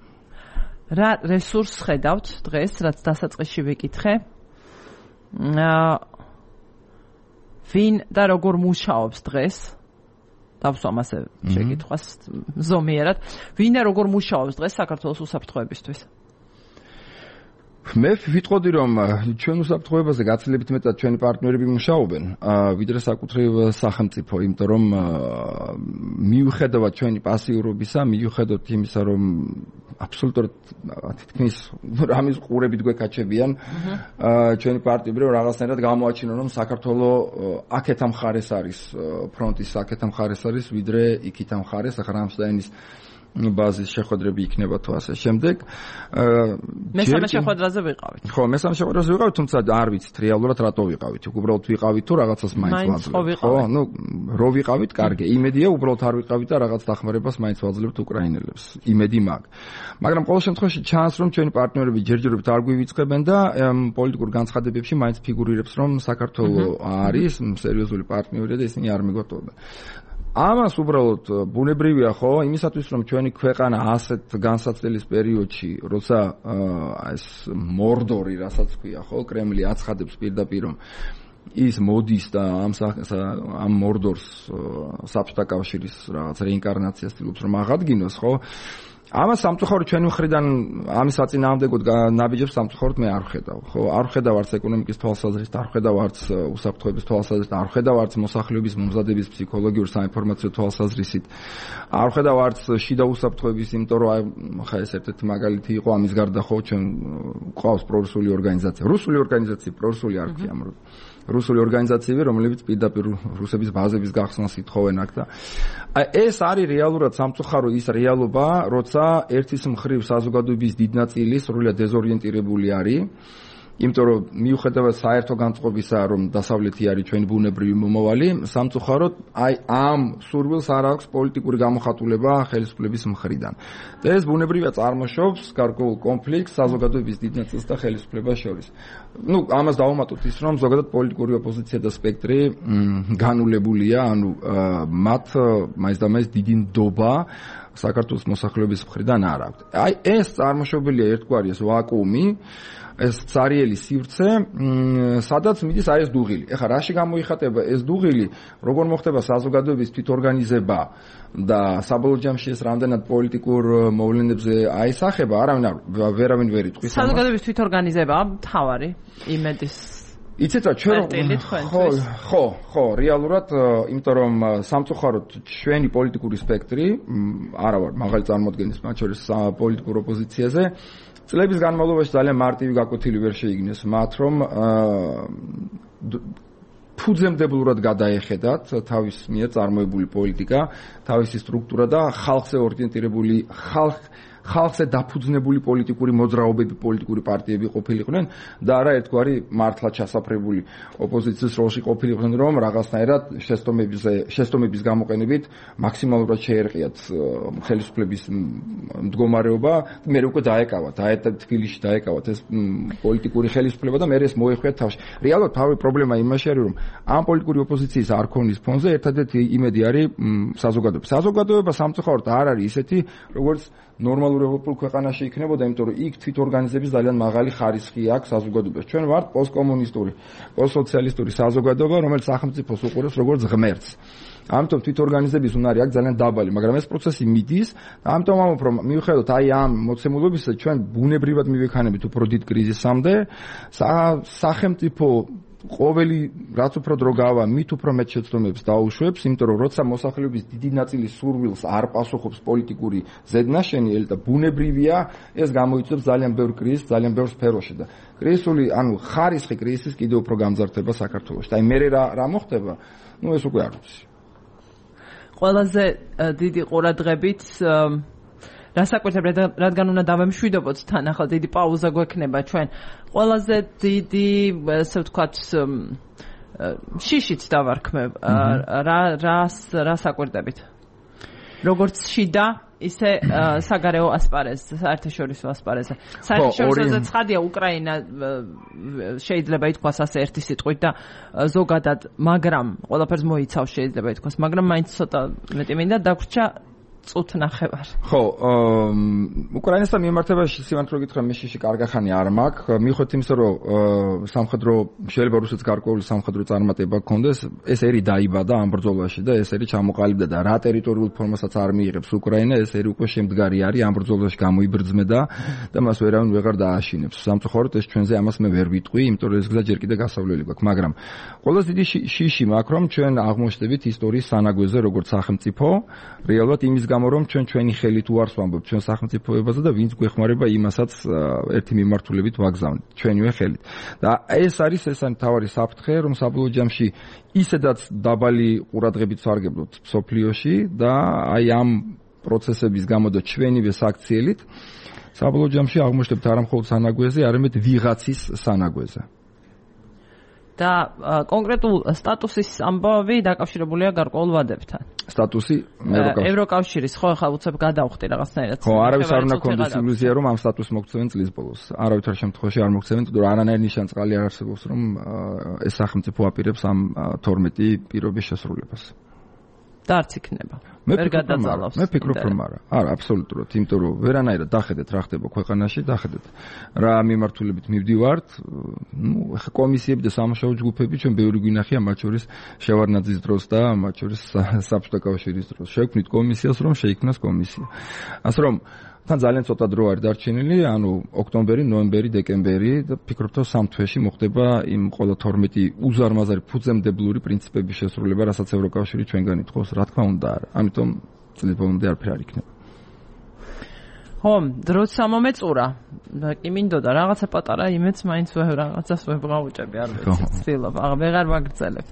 რა რესურსს ხედავთ დღეს, რაც დასაწყისში ვიკითხე? აა ვინ და როგორ მუშაობს დღეს? დავსვამ ასე შეკითხვას ზომიერად. ვინ და როგორ მუშაობს დღეს საქართველოს უსაფრთხოებისთვის? მე ვიტყოდი რომ ჩვენ უსაფრთხოებაზე გაცილებით მეტად ჩვენი პარტნიორები მუშაობენ, ვიდრე საკუთრივ სახელმწიფო, იმიტომ რომ მიუხედავად ჩვენი პასიურობისა, მიუხედავად იმისა, რომ აბსოლუტურად თითქმის რამის ყურებით გვეკაჩებიან, ჩვენი პარტნიორები რაღაცნაირად გამოაჩინონ, რომ საქართველო აქეთ ამ ხარეს არის, ფრონტის აქეთ ამ ხარეს არის, ვიდრე იქით ამ ხარეს, ახლა რამსტაინის ბაზის შეხვედრები იქნება თუ ასე შემდეგ. მესამე შეხვედრაზე ვიყავით. ხო, მესამე შეხვედრაზე ვიყავით, თუმცა არ ვიცით რეალურად რატო ვიყავით. უბრალოდ ვიყავით თუ რაღაცას მაინც ვაძლევთ. ხო, ну, რო ვიყავით, კარგი. იმედია, უბრალოდ არ ვიყავით და რაღაც დახმარებას მაინც ვაძლევთ უკრაინელებს. იმედი მაგ. მაგრამ ყოველ შემთხვევაში ჩანს, რომ ჩვენი პარტნიორები ჯერჯერობით არ გვივიწყებენ და პოლიტიკურ განცხადებებში მაინც ფიგურირებს, რომ საქართველო არის სერიოზული პარტნიორი და ისინი არ მიგოტოვებენ. ამას უბრალოდ ბუნებრივია ხო იმისათვის რომ ჩვენი ქვეყანა ასეთ განსაცდელის პერიოდში როცა ეს მორდორი რასაც ქვია ხო კრემლი აცხადებს პირდაპირ რომ ის მოდის და ამ ამ მორდორს საბჭოთა კავშირის რაღაც რეინკარნაციას ცდილობს რომ აღადგინოს ხო ამას სამწუხაროდ ჩვენი მხრიდან ამის საწინააღმდეგოდ ნაბიჯებს სამწუხაროდ მე არ ვხედავ ხო არ ვხედავ არც ეკონომიკის თვალსაზრისით არ ვხედავ არც უსაფრთხოების თვალსაზრისით არ ვხედავ არც მოსახლეობის მომზადების ფსიქოლოგიურ საინფორმაციო თვალსაზრისით არ ვხედავ არც შიდა უსაფრთხოების იმიტომ რომ ხა ეს ერთ-ერთი მაგალითი იყო ამის გარდა ხო ჩვენ ყავს პრორუსული ორგანიზაცია რუსული ორგანიზაცია პრორუსული არ ქვია რუსული ორგანიზაციები რომლებიც პირდაპირ რუსების ბაზების გახსნას ითხოვენ აქ და აი ეს არის რეალურად სამწუხარო ის რეალობა როცა ერთის მხრივ საზოგადოების დიდ ნაწილი სრულიად დეზორიენტირებული არის იმიტომ რომ მიუხედავად საერთო განწყობისა რომ დასავლეთი არის ჩვენი ბუნებრივი მომავალი სამწუხაროდ აი ამ სურვილს არ აქვს პოლიტიკური გამოხატულება ხელისუფლების მხრიდან და ეს ბუნებრივია წარმოშობს გარკვეულ კონფლიქტს საზოგადოების დიდ ნაწილს და ხელისუფლებას შორის ну ამას დავუმატოთ ის რომ ზოგადად პოლიტიკური ოპოზიცია და სპექტრი განულებულია ანუ მათ მაინც და მაინც დიდი ნდობა საქართველოს მოსახლეობის მხრიდან არ აქვს აი ეს წარმოშობილია ერთგვარი ეს ვაკუუმი ეს цаრიელი სივრცე, სადაც მიდის აი ეს დუღილი. ეხლა რაში გამოიხატება ეს დუღილი, როგორ მოხდება საზოგადოების თვითორგანიზება და საბოლოო ჯამში ეს რამდენად პოლიტიკურ მოვლენებზე აისახება, არავინ არ ვერავინ ვერ იტყვის. საზოგადოების თვითორგანიზება თავარი იმედის იცით რა ჩვენ ხო ხო ხო რეალურად იმიტომ რომ სამწუხაროდ ჩვენი პოლიტიკური სპექტრი არა ვარ მაღალი წარმოდგენის მათ შორის პოლიტიკურ ოპოზიციაზე წლების განმავლობაში ძალიან მარტივი გაკვეთილი ვერ შეიგნეს მათ რომ ფუძემდებლურად გადაეხედათ თავის მიერ წარმოებული პოლიტიკა თავისი სტრუქტურა და ხალხზე ორიენტირებული ხალხ ხალხზე დაფუძნებული პოლიტიკური მოძრაობები, პოლიტიკური პარტიები ყოფილიყვნენ და არა ერთგვარი მართლა ჩასაფრებული ოპოზიციის როლში ყოფილიყვნენ, რომ რაღაცნაირად შეცდომებზე, შეცდომების გამოყენებით მაქსიმალურად შეერყიათ ხელისუფლების მდგომარეობა, მე უკვე დაეკავათ, აეთ თბილისში დაეკავათ ეს პოლიტიკური ხელისუფლება და მე ეს მოეხვიათ თავში. რეალურად თავი პრობლემა იმაში არის, რომ ამ პოლიტიკური ოპოზიციის არ ქონის ფონზე ერთადერთი იმედი არის საზოგადოება. საზოგადოება სამწუხაროდ არ არის ისეთი, როგორც ნორმალურ ევროპულ ქვეყანაში იქნებოდა, იმიტომ რომ იქ თვითორგანიზების ძალიან მაღალი ხარისხი აქვს საზოგადოებას. ჩვენ ვართ პოსტკომუნისტური, პოსტსოციალისტური საზოგადოება, რომელიც სახელმწიფოს უყურებს როგორც ღმერთს. ამიტომ თვითორგანიზების უნარი აქვს ძალიან დაბალი, მაგრამ ეს პროცესი მიდის და ამიტომ ამბობ რომ მიუხედავად აი ამ მოცემულობისა ჩვენ ბუნებრივად მივექანებით უფრო დიდ კრიზისამდე, სახელმწიფო ყოველი რაც უფრო დრო გავა, მით უფრო მეტ შეცდომებს დაუშვებს, იმიტომ რომ როცა მოსახლეობის დიდი ნაწილის სურვილს არ პასუხობს პოლიტიკური ზედნაშენი და ბუნებრივია, ეს გამოიწვევს ძალიან ბევრ კრიზისს, ძალიან ბევრ სფეროში და კრიზისული, ანუ ხარისხი კრიზისის კიდევ უფრო გამძარცდება საქართველოში. და აი მე რა რა მოხდება? ნუ ეს უკვე არ ვიცი. ყველაზე დიდი ყურადღებით რასაკვირთებ რადგან უნდა დავემშვიდობოთ თან ახლა დიდი პაუზა გვექნება ჩვენ ყველაზე დიდი ესე ვთქვათ შიშით დავარქმევ რა რას რასაკვირდებით როგორც შიდა ისე საგარეო ასპარეზზე საერთაშორისო ასპარეზზე საერთაშორისოზე ცხადია უკრაინა შეიძლება ითქვას ასე ერთი სიტყვით და ზოგადად მაგრამ ყველაფერს მოიცავს შეიძლება ითქვას მაგრამ მაინც ცოტა მეტი მინდა დაგვრჩა წუთ ნახევარ. ხო, უკრაინასთან მიმართებაში სიმართლე გითხრა მე შიში კარგახანი არ მაქვს. მიუხედავად იმისა, რომ სამხედრო შეიძლება რუსეთს გარკვეული სამხედრო წარმატება ჰქონდეს, ეს ერი დაიბადა ამ ბრძოლაში და ეს ერი ჩამოყალიბდა და რა ტერიტორიულ ფორმასაც არ მიიღებს უკრაინა, ეს ერი უკვე შემდგარი არის ამ ბრძოლაში გამოიბრძმედა და მას ვერავინ ვეღარ დააშინებს. სამწუხაროდ ეს ჩვენზე ამას მე ვერ ვიტყვი, იმიტომ რომ ეს გზა ჯერ კიდევ გასავლელი გვაქვს, მაგრამ ყველაზე დიდი შიში მაქვს, რომ ჩვენ აღმოჩნდებით ისტორიის სანაგვეზე როგორც სახელმწიფო, რეალურად იმის გამო რომ ჩვენ ჩვენი ხელით უარს ვამბობთ ჩვენ სახელმწიფოებაზე და ვინც გვეხმარება იმასაც ერთი მიმართულებით ვაგზავნით ჩვენივე ხელით. და ეს არის ეს არის თავარი საფრთხე, რომ საბოლოო ჯამში ისედაც დაბალი ყურადღებით სარგებლობთ სოფლიოში და აი ამ პროცესების გამო და ჩვენივე საქციელით საბოლოო ჯამში აღმოჩნდებთ არა მხოლოდ სანაგვეზე, არამედ ვიღაცის სანაგვეზე. და კონკრეტულ სტატუსის ამბავი დაკავშირებულია გარკვეულ ვადებთან. სტატუსი ევროკავშირის ხო ხა უცებ გადავხდი რაღაცნაირად. ხო, არავის არ უნდა კონდეს ილუზია რომ ამ სტატუსს მოგცემენ წლის ბოლოს. არავითარ შემთხვევაში არ მოგცემენ, თუმცა არანაირი ნიშანწყალი არ არსებობს რომ ეს სახელმწიფო აპირებს ამ თორმეტი პირობის შესრულებას. და არც იქნება. ვერ გადაძალავს. მე ფიქრობ რომ არა. არა, აბსოლუტურად, იმიტომ რომ ვერანაირად დახედეთ რა ხდება ქვეყანაში, დახედეთ რა მიმართულებით მივდივართ, ნუ ხა კომისიები და სამუშაო ჯგუფები ჩვენ ბევრი გვინახია, მათ შორის შევარდნაძის დროს და მათ შორის საბჭოთა კავშირის დროს. შევქმნით კომისიას, რომ შეიქმნას კომისია. ასე რომ თან ძალიან ცოტა დრო არის დარჩენილი, ანუ ოქტომბერი, ნოემბერი, დეკემბერი და ფიქრობ რომ სამ თვეში მოხდება იმ ყველა თორმეტი უზარმაზარი ფუძემდებლური პრინციპების შესრულება, რასაც ევროკავშირი ჩვენგან ითხოვს, რა თქმა უნდა არა. ამიტომ წლის ბოლომდე არაფერი არ იქნება. ხო, დროც სამომეწურა. კი მინდოდა რაღაცა პატარა იმეც მაინც რაღაცას ვეღავჭები, არ ვიცი, ცდილობ, აღ ვეღარ ვაგრძელებ.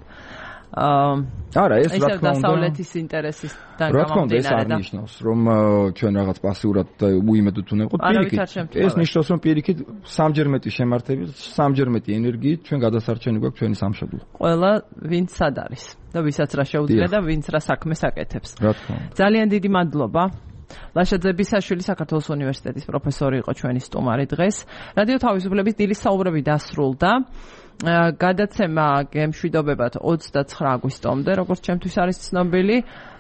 არა, ეს რა თქმა უნდა დასავლეთის ინტერესისგან გამომდინარე. რა თქმა უნდა, ეს არ ნიშნავს, რომ ჩვენ რაღაც პასიურად და უიმედოდ უნდა ვიყოთ პირიქით. ეს ნიშნავს, რომ პირიქით სამჯერ მეტი შემართებით, სამჯერ მეტი ენერგიით ჩვენ გადასარჩენი გვაქვს ჩვენი სამშობლო. ყველა ვინც სად არის და ვისაც რა შეუძლია და ვინც რა საქმეს აკეთებს. რა თქმა უნდა. ძალიან დიდი მადლობა. ლაშაძე ბისაშვილი საქართველოს უნივერსიტეტის პროფესორი იყო ჩვენი სტუმარი დღეს. რადიო თავისუფლების დილის საუბრები დასრულდა. გადაცემა გემშვიდობებად ოცდაცხრა აგვისტომდე, როგორც ჩემთვის არის ცნობილი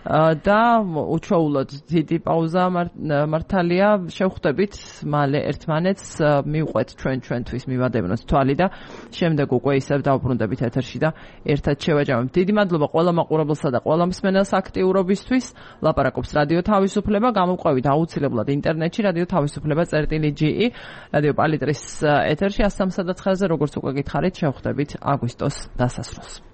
და უჩვეულოდ დიდი პაუზა მართალია. შევხვდებით მალე ერთმანეთს, მივყვეთ ჩვენ ჩვენთვის მივადევნოთ თვალი და შემდეგ უკვე ისევ დავბრუნდებით ეთერში და ერთად შევაჯამებთ. დიდი მადლობა ყველა მაყურებელსა და ყველა მსმენელს აქტიურობისთვის. ლაპარაკობს რადიო თავისუფლება, გამოვყვებით აუცილებლად ინტერნეტში რადიო თავისუფლება წერტილი ჯი ი, რადიო პალიტრის ეთერში ას სამსა და ცხრაზე, როგორც უკვე გითხარით, შევხვდებით აგვისტოს დასასრულს.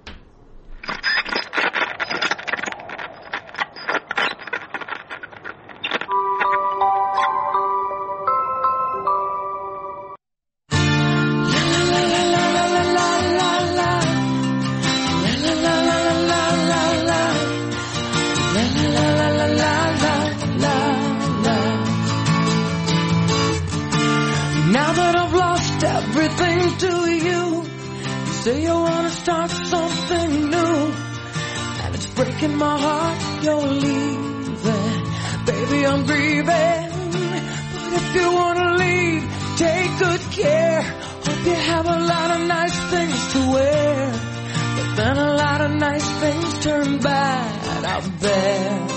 Say you wanna start something new, and it's breaking my heart you're leaving. Baby, I'm grieving, but if you wanna leave, take good care. Hope you have a lot of nice things to wear, but then a lot of nice things turn bad out there.